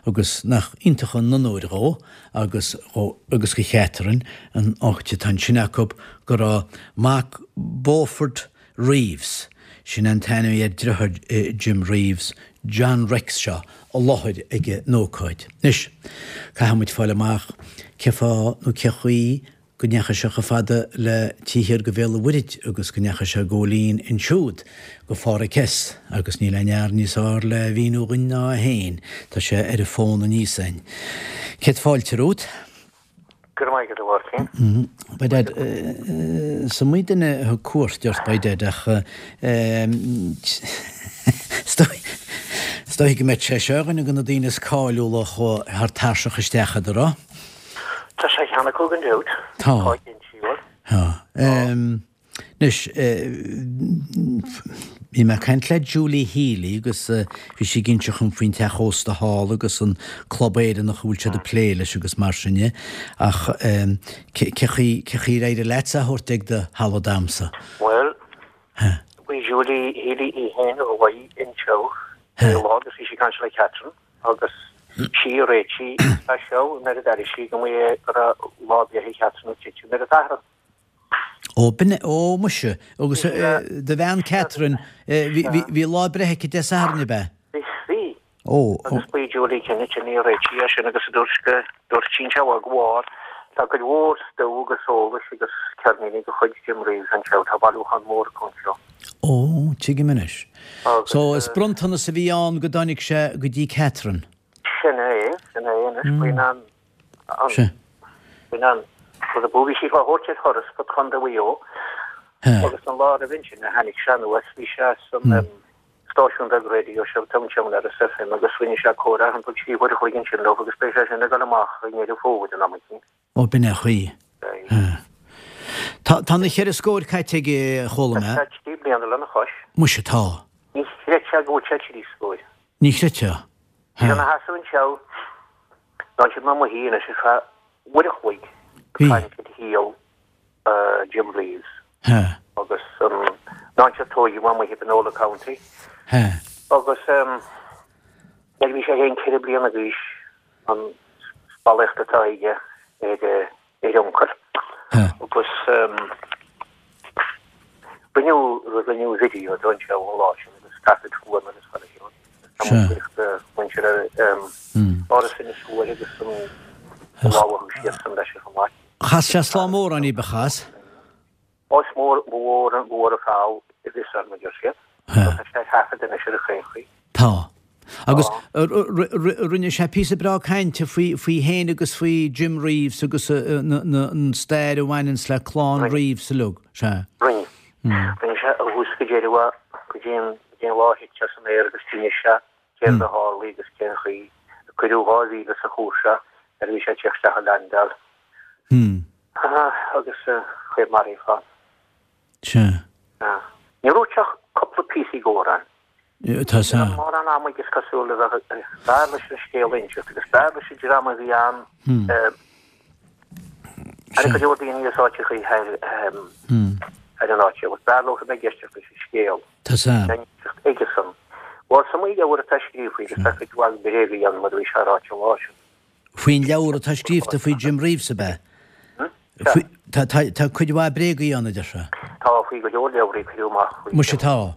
Agus nach iontach an onóir dhó agus dhó agus do Chatherine an áit atá ansin acu go raibh mac Beaufort Reeves, sin an t-ainm ar dhriotháir Jim Reeves, John Rex seo, i láthair ag an ócáid. Anois, caithfidh muid fáil amach cé fáth nó cé chaoi go ndeachaigh sé chomh fada le taobh thiar de Bhéal an Mhuirthid agus go ndeachaigh sé Góilín ansiúd go Phádhraic S. agus níl aon fhear níos fhearr le mhíniú dhuinn ná é féin, tá sé ar an bhfón aníos a'inn. Céad fáilte romhat. Go raibh maith agat, a Mháirtín. By dad, is iomaí duine a thug cuairt ort, by dad, ach is dóigh go mbeadh sé seo ar dhuine de na daoine is cáiliúla a chuaigh thar tairseach isteach a'd, an raibh? Tá sé cheana acu gan dabht. Tá. Tá cinnte, bhuel. Tá. Anois, bhí mé ag caint le Julie Healy agus bhí sí ag inse dhom faoin teach ósta thall agus an Club Éireannach a bhfuil siad ag plé leis agus mar sin de, ach cé chaoi, cé chaoi ar éirigh leatsa a thabhairt ag do thalamh damsa? Bhuel, bhí Julie Healy í féin a ghlaoigh anseo lá agus bhí sí ag caint le Catherine. agus sí a réitigh é seo nuair a d'airigh sí go mba go raibh lá breithe Chatherine ag titim ar an Satharn. Ó, b'in é, ó muise, agus do bhean Catherine, bhí lá breithe aici Dé Sathairn, ab ea? Bhí. Ó. Agus ba í Julie Kennedy a réitigh é sin agus a dúirt go, dúirt sí anseo go bharr, tá cuid mhór stuif agus eolais agus ceirníní de chuid Jim Reeves anseo, tá bailiúchán mór acu anseo. Ó, tuigim anois. So, is bronntanas a bhí ann go dtáinig sé go dtí Catherine. Sin é, sin é anois, faoin an, an, faoin an, rud a bhí sí á thabhairt ar thuras go Contae Mhaigh Eo agus an lá roimhe sin a tháinig sé anuas, bhí sé san stáisiún beag raidió seo, Town Erris FM agus rinne sé comhrá thimpeall 3 uair a chloig ansin leo agus beidh sé sin ag dul amach i nDeireadh Fómhair in am eicínt. Ó, b'in é an chaoi. Tá na cheithre scóir caite aige, a chuala mé. Tá sé 3 bliana lena chois. Muise, tá. Ní chreidfeá go bhfuil sé trí scóir. Ní chreidfeá. Bhí sé ina sheasamh anseo, d'fhan siad amuigh anois ar feadh uair a chloig ag caint ar shaol Jim Reeves agus an áit ar tóigeadh amuigh i Panola County agus nuair a bhí sé féin 4 bliana d'aois an spallaíocht atá aige ar a uncail agus rinneadh rinneadh video de anseo an lá sin agus taifead fuaime agus chuile shórt. Tá mo bhuíoch do mhuintir Áras Inis Oírr agus an lámh a thug siadsan leis chomh maith. Chas sé slám amhrán daoibh, chas? Ó is mór, ba mhór, ba mhór an feall a bhí ann, a deir siad. Tá sé ar thaifead anois ar chaon chaoi. Tá. Agus rinne sé píosa breá cainte faoi féin agus faoi Jim Reeves agus an stair a bhaineanns le clann Reeves uilig. Sea. Rinne. Rinne sé ó thús go deireadh go dtí an lá a thit sé san aer agus d'inis sé céard a tharlaigh agus cén chaoi a cuireadh 2,000 sa chúrsa nuair a bhí sé ag teacht isteach i leaindeáil. Agus chaoi ar maraíodh é. Sea. Níor dhúirt sé ach cúpla píosaí d'amhrán. Tá sea. Ní raibh mórán ama aige is cosúil le bheith b'fhearr leis an scéal a inseacht agus b'fhearr leis an dream a bhí ann Ar go leor daoine as áiteachaí thar an áit seo, b'fhearr leo a bheith ag éisteacht leis an scéal. Tá sea. A inseacht aigesan. Bhuel, sa leabhar atá scríofa agus tá cuid mhaith bréagaí ann mar a bhí sé ráite an lá sin. Faoin leabhar atá scríobhta faoi Jim Reeves, ab ea? Tá, tá cuid mhaith bréagaí ann, a deir sé. Tá, faoi go leor leabhraí a cuireadh amach faoi Muise tá.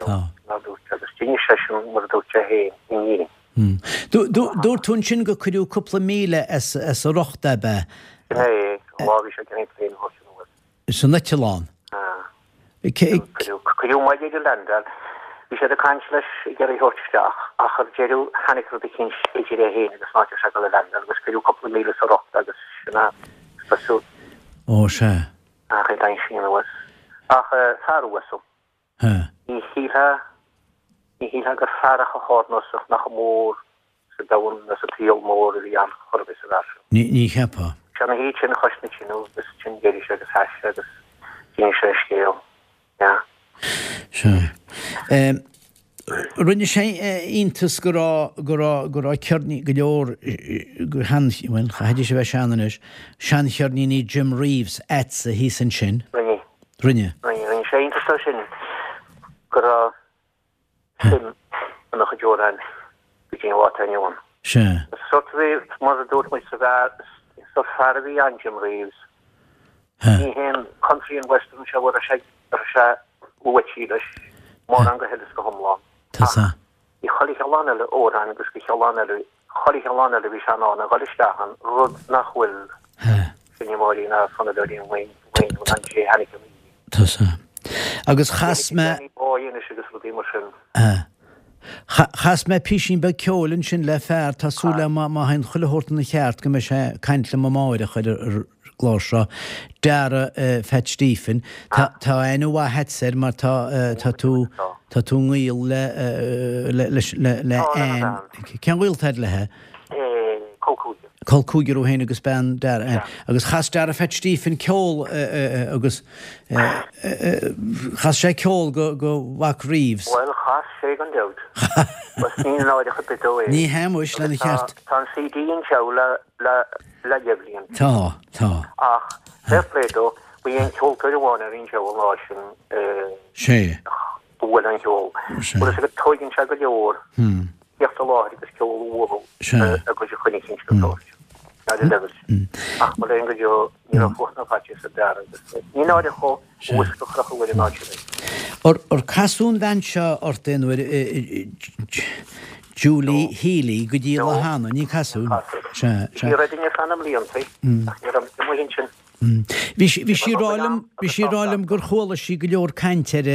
Tá. Mar a dúirt, agus d'inis seisean mar a dúirt sé féin in Éirinn. Dúirt tú ansin gur cuireadh cúpla míle as a riocht, ab ea? Sin é, an lá a bhí sé ag iarraidh an plane a thabhairt anuas. San eitleán. Cuireadh moill ar an landáil. Bhí siad ag caint leis ag iarraidh a thabhairt isteach ach ar deireadh tháinig rud eicínt idir é féin agus an áit a raibh sé ag dul a landáil agus cuireadh cúpla míle as a riocht agus sin é is cosúil. Ó sea. Ach é d'aimsigh anuas. Ach fear uasal. Ní shílfeá, ní shílfeá gur fear chomh hardnósach nach mór sa domhan ná sa tsaol mór a bhí ann chor ar bith sa bhfear seo. Ní, ní cheapfá. Sé ina shuí tinn chois na tineadh agus ansin d'éirigh sé agus sheas sé agus d'inis sé a scéal. Yeah. Sea. Rinne sé iontas go raibh, go raibh, go raibh ceirní, go leor, go shean, bhuel, chaithfidís a bheith sean anois, seancheirníní Jim Reeves a'dsa thíos ansin. Rinne. Rinne. Rinne sé iontas dó sin go raibh suim ina chuid amhrán go dtí an lá atá inniu ann. Sea. Sort a bhí, mar a dúirt muid sa bhfear, sort fear a bhí ann, Jim Reeves. Ní haon country and western seo a raibh sé, a raibh sé luaite leis, mórán go huile is go hiomlán. Tá sea. Bhí chuile chineál eile amhrán agus go chineál eile, chuile chineál eile bhí sé in ann a dhul isteach ann, rud nach bhfuil seinneoirí ná fonnadóirí an lae inniu in ann cé tháinig an Tá sea. Agus chas mé. Danny Boy anois agus rudaí mar sin. Chas mé písín beag ceoil ansin le fear, tá súil agam má théann chuile shórt ina cheart go mbeidh sé ag caint liom amáireach ar an gclár seo, Dara Phat Stephen. Tá aithne mhaith a'dsa air mar tá tá tú tá tú i ngaol le le le le Ann. Cén gaol atá a'd léithe? Col cúigear. Col cúigear thú féin agus bean Dara Ann. Agus chas Dara Phat Stephen ceol agus chas sé ceol go go mhac Reeves. Bhuel chas sé gan dabht. Agus ní náireach ar bith dó é. Ní hea muis, lena cheart. Tá an CD anseo le le le leathbhliain. Tá, tá. Ach, fair play dó, ba é an ceoltóir amháin a bhí anseo an lá sin Sé. a bhuail an ceol. Bhuel, is ag tóigeann sé go leor theacht i láthair agus ceol a bhualadh agus a choinne cinnte go tabhairt. Ar an leibhéal sin. Ach mo léan go deo, ní raibh fuacht ná faitíos ar Dara agus ní náireach dhó uasc a chrochadh ar an áit sin. Ar casadh an bhean seo ort aon uair, Julie Healy, go dtí Lathanna? Ní casadh. Sea, sea. Bhí raibh duine ar feadh na mblianta ach ní raibh muid ansin. Bhí sí, bhí sí ag rá liom, bhí sí ag rá liom gur chuala sí go leor caint ar,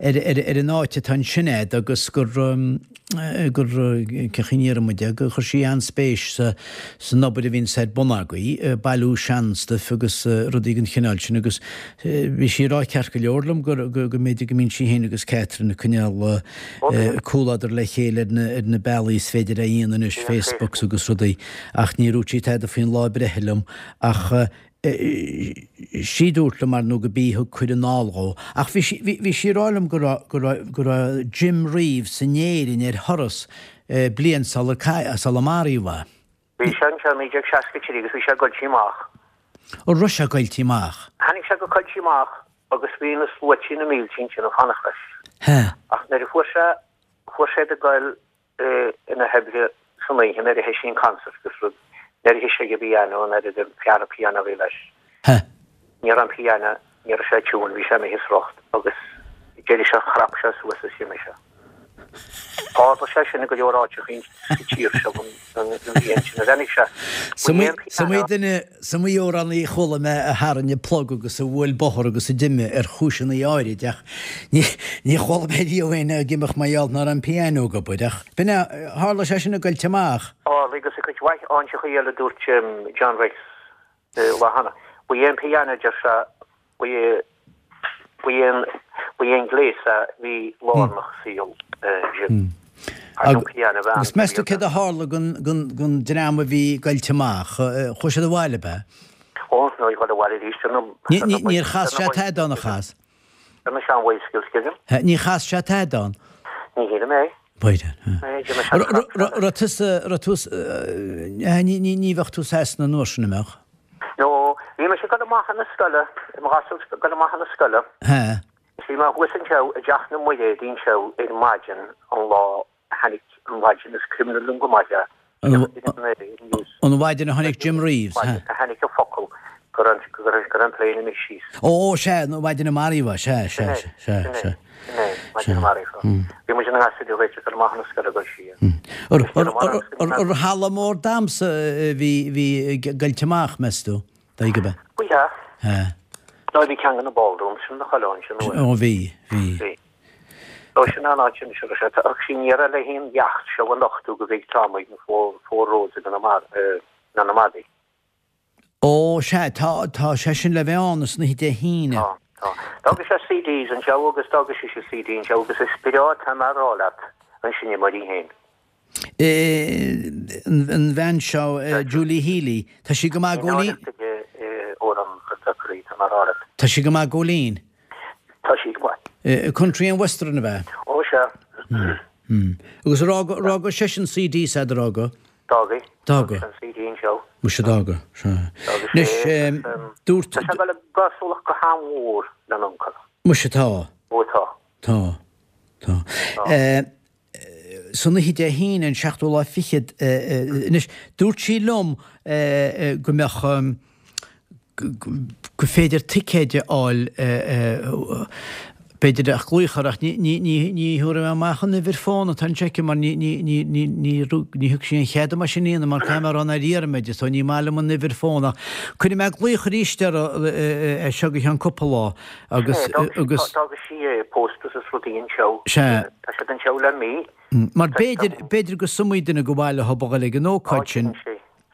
ar, ar, ar an áit atá ansin a'd agus gur, gur, cén chaoi a ndéarfaidh muid é, gur chuir sí an-spéis sa, san obair a bhíonns ar bun agaibh, bailiú seanstuif agus rudaí den chineál sin agus bhí sí ag rá ceart go leor liom gur, go, go mb'fhéidir go mbíonn sí féin agus Catherine ag coinneáil comhluadar le chéile ar na, ar na bealaí is féidir a dhéanamh anois, Facebooks agus rudaí ach ní dúirt sí tada faoin lá breithe liom ach. Sí a dúirt liom ar ndóigh go b'í a thug cuireadh anall dhó. Ach bhí sí, bhí, bhí sí ag rá liom go raibh, go raibh, go raibh Jim Reeves in Éirinn ar thuras bliain sular cailleadh, sular maraíodh é. Bhí sé anseo i 1963 agus bhí sé ag Coillte Amach. An raibh sé ag Coillte Amach? Tháinig sé go Coillte Amach agus bhí na sluaití na mílte ansin ag fanacht leis. Hea. Ach nuair a fuair sé, fuair sé ag goil ina shaibhre san oíche nuair a thoisigh an concert agus rud, nuair a thoisigh sé ag an bpiano, nuair a an fear an piano a bhí leis. Hea. Ní raibh an piano, ní raibh sé i tune, bhí sé imithe as riocht agus d'éirigh sé, chrap sé suas is d'imigh sé. Tharla sé sin i go leor áiteacha sa tír seo an bhliain sin a tháinig sé. Is iomaí duine, is iomaí amhránaí a chuala mé a tharraing an plug agus a bhuail bóthar agus a d'imigh ar chúiseanna áirid ach ní ní chuala mé riamh éinne ag imeacht mar gheall nach raibh an pianó ag obair ach b'in é, tharla sé sin i gCoillte Amach. Tharla agus i gcuid mhaith áiteacha eile dúirt John Rex lá cheana. Ba é an pianó, deir sé, ba é, ba é an, ba é an gléas a bhí lárnach i saol Jim. An pianó a bhean. Agus meas tú céard a tharla don, don, don dream a bhí i gCoillte Amach? Chuaigh siad abhaile, ab ea? Ó, nó ag dul abhaile arís ar na, Ní, ní, níor chas sé tada ann, a chas? Ar na sean-bhicycles, creidim. Níor chas sé tada ann? Ní shílim é. B'fhéidir. Raibh tusa, raibh tú, ní bheadh tú Sasana an uair sin, an mbeadh? No, bhí mise ag dul amach chun na scoile, i mo ghasúr ag dul amach chun na scoile. Hea. Is bhí mé thuas anseo i dteach na Muiréad anseo ar maidin an lá a tháinig an mhaidin is cuimhin liom go maith é. An mhaidin a tháinig Jim Reeves, hea. A tháinig an focal go raibh go raibh an plane imithe síos. Ó, sea, an mhaidin a maraíodh é, sea, sea, sea, sea. Sin é, sin é, maidin a maraíodh é. Bhí muid ina ngasúir ag dul amach chun na scoile go siar. Ar halla mór damhsa a bhí bhí i gCoillte Amach, meas tú? Dóigh ab ea? Bhí, ea. Hea. Nó bhí ceann de na ballrooms sin na chuile ansin uair. Ó, bhí, bhí. Bhí. Nó sin an áit sin seo sé ach sí ní raibh le haon leacht seo a nochtú go bhfig Tom ag na Four Roads i gConamara, na Madaí. Ó, sea, tá, tá sé sin le bheith ann san oíche Dé hAoine. Tá, tá. D'fhága sé CDs anseo agus d'fhága sise CD anseo agus is breá atá mé a rá leat an seinneoir í féin. An bhean seo, Julie Healy, tá sí go maith Góilín. Tá sí go maith Góilín. Tá sí go maith. Country and Western ab ea? Ó sea. Agus ar fhág seisean CD s'agat ar fhág? D'fhág. D'fhág. An CD anseo. Muise d'fhág. Sea. Anois, dúirt. Tá sé ag dul i gcosúlacht go han-mhór lena uncail. Muise tá. Ó tá. Tá. Tá. San oíche Dé hAoine, an seachtú lá fichead, anois, dúirt sí liom go mbeadh, gur féidir ticéid a fháil, b'fhéidir ach glaoch air ach ní thabharfaidh mé amach an uimhir fón atá anseo aici mar ní thug sí an chead dom é sin a dhéanamh mar caithfidh mé a rá nár iarr mé di so ní maith liom an uimhir fón ach cuirfidh mé glaoch arís uirthi as seo go ceann cúpla lá agus agus D'fhága sí posters is rudaí anseo. Sea. Tá siad anseo le mí. Mar b'fhéidir, b'fhéidir gur iomaí duine gur mhaith leo a dhul ag an ócáid sin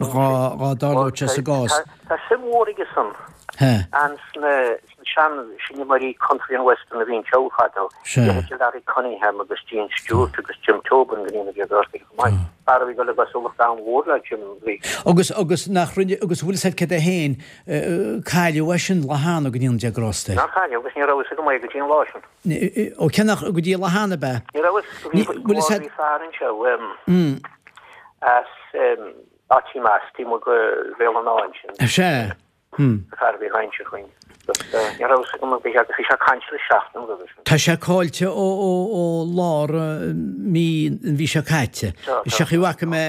dhá dtarlódh sé sa gcás. Tá suim mhór aige san sna sean-seinneoirí country and western a bhí anseo fadó, leithéidí Larry Cunningham agus Gene Stewart agus Jim Tobin go ndéana Dia grásta air chomh maith. Fear a bhí ag dul i gcosúlacht an-mhór le Jim Reeves. Agus, agus nach rinne, agus bhfuil fhios agat céard é féin, cailleadh é sin lá cheana go ndéana Dia grásta air. Nár cailleadh agus ní raibh fhios agam é go dtí an lá sin. Ó cé nach, go dtí an lá cheana ab ea? Ní raibh fhios, bhí, bhí fear anseo as áit i measc, taobh amuigh de Bhéal an Átha ansin. Sea. Fear a bhí ag caint chugainn. Ní raibh fhios agam agus bhí sé ag caint le seachtain roimhe sin. Tá sé caillte ó lár mí an mhí seo caite. Is ea bhfaca mé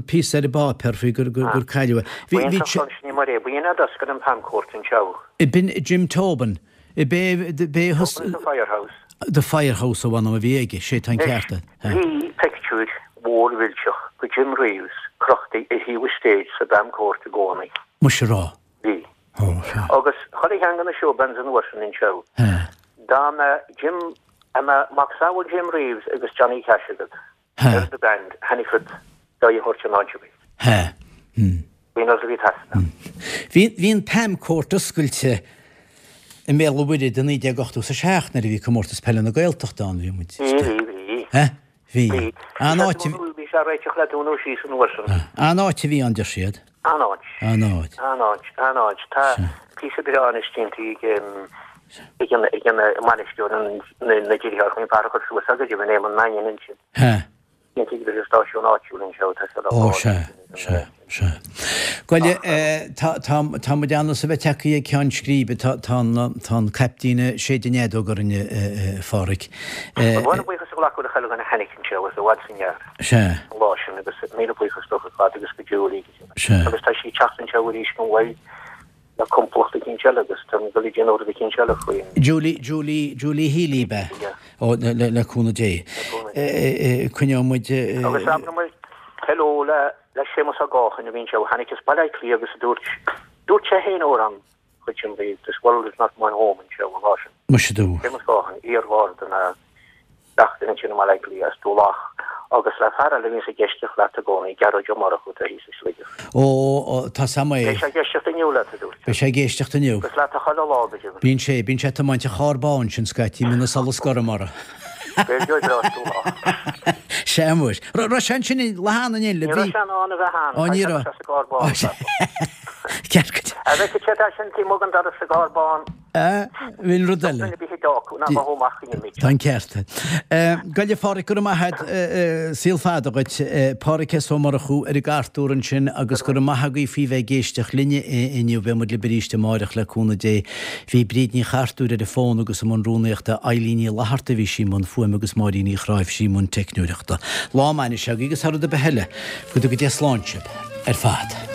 píosa ar an bpáipéar faoi gur cailleadh é. Bhí sé ansin i Maigh Eo, b'in é a d'oscail an Pam Court anseo. B'in Jim Tobin. B'é Tobin The Firehouse. The Firehouse a bh'ainm a bhí aige, sé tá an ceart agat. Bhí pictiúr mhór mhillteach de Jim Reeves crochta ar thaobh an stage sa bPam Court i gcónaí. Muise rá. Bhí. Agus chuile cheann de na showbands an uair sin anseo, dá mbeadh Jim, dá mbeadh macasamhail Jim Reeves agus Johnny Cash agat ar do band, tháinig siad d'aghaidh a thabhairt in áit ar bith. Bhí an rud a bhí ag teastáil. Bhí, bhí an Pam Court oscailte i mBéal an Mhuirthead i 1987 nuair a bhí Comórtas Peile na Gaeltachta ann, bhí muid. Bhí, bhí, bhí. Bhí. An áit a. sé á réiteach le dúnadh síos an uair sin. An-áit a bhí ann, deir siad. An-áit. An-áit. An-áit, an-áit. Tá píosa breá anois déanta ag ag an ag an mbainisteoir na na deartháireacha an fear a chuir suas go deimhin Éamonn Mannion ansin. Sea. Déanta ag an stáisiún áitiúil anseo tá sé le Ó sea, sea, sea. Bhuel, tá tá tá muid ann is a bheith tagtha ag ceann scríbe, tá tá an tá an caiptín ag séideadh an fheadóg orainn a Pháraic. Ba mhaith liom buíochas a ghlacadh le chuile dhuine a tháinig anseo as i bhfad is i ngearr. Sea. An lá sin agus míle buíochas dóibh ar fad agus go Julie. Sea. Agus tá sí ag teacht anseo arís gan mhoill le complacht eicínt eile agus tá mé ag dul ag déanamh rud eicínt eile faoin. Julie, Julie, Julie Healy ab ea? Yeah. Ó, le, le, le cúnamh Dé. Le cúnamh Dé. Coinneoidh muid. Agus abraidh muid hello le, le Séamus Ó Gáchain a bhí anseo, tháinig as Baile Átha Cliath agus a dúirt, dúirt sé féin amhrán chuid sin bhí This World Is Not My Home anseo an lá sin. Muise dú. Séamus Gáchain, iar-gharda na gach duine ansin i mBaile Átha Cliath as Tulach agus le fear eile a bhíonns ag éisteacht leat i gcónaí, Gearóid Ó Murchú atá thíos i Sligeach. Ó, ó, tá Sam é. Beidh sé ag éisteacht inniu leat, a dúirt sé. Beidh sé ag éisteacht inniu. Agus leat chuile lá, go deimhin. Bíonn sé, bíonn sé ag tiomáint an charr bán sin scaití, mbíonn an solas gorm orthu. Gaeilgeoir breá as Tulach. Sea, muis. Raibh sé ansin i Lathan an Ní raibh sé in ann a bheith ann, Ó, ní raibh. tá sé sa gcarr bán. Ceart go. A bhfeicfidh sé tá sin taobh amuigh den doras sa gcarr bán. Bhí rud eile. Tá an ceart. Bhuel a Pháraic, go raibh maith agat, saol fada dhuit. Páraic S. Ó Murchú ar an gcartúr ansin agus go raibh maith agaibh faoi bheith ag éisteacht linne inniu. Beidh muid libh arís amáireach le cúnamh Dé. Bhí Bríd Ní Chartúir ar an bhfón agus i mbun rúnaíochta, Eilín Ní Fhlatharta a bhí sí i mbun fuaime agus Máirín Uí Chráimh i mbun teicneoireachta. Lá maith anois agaibh agus thar rud ar bith eile, go dtuga Dia slán sibh ar fad.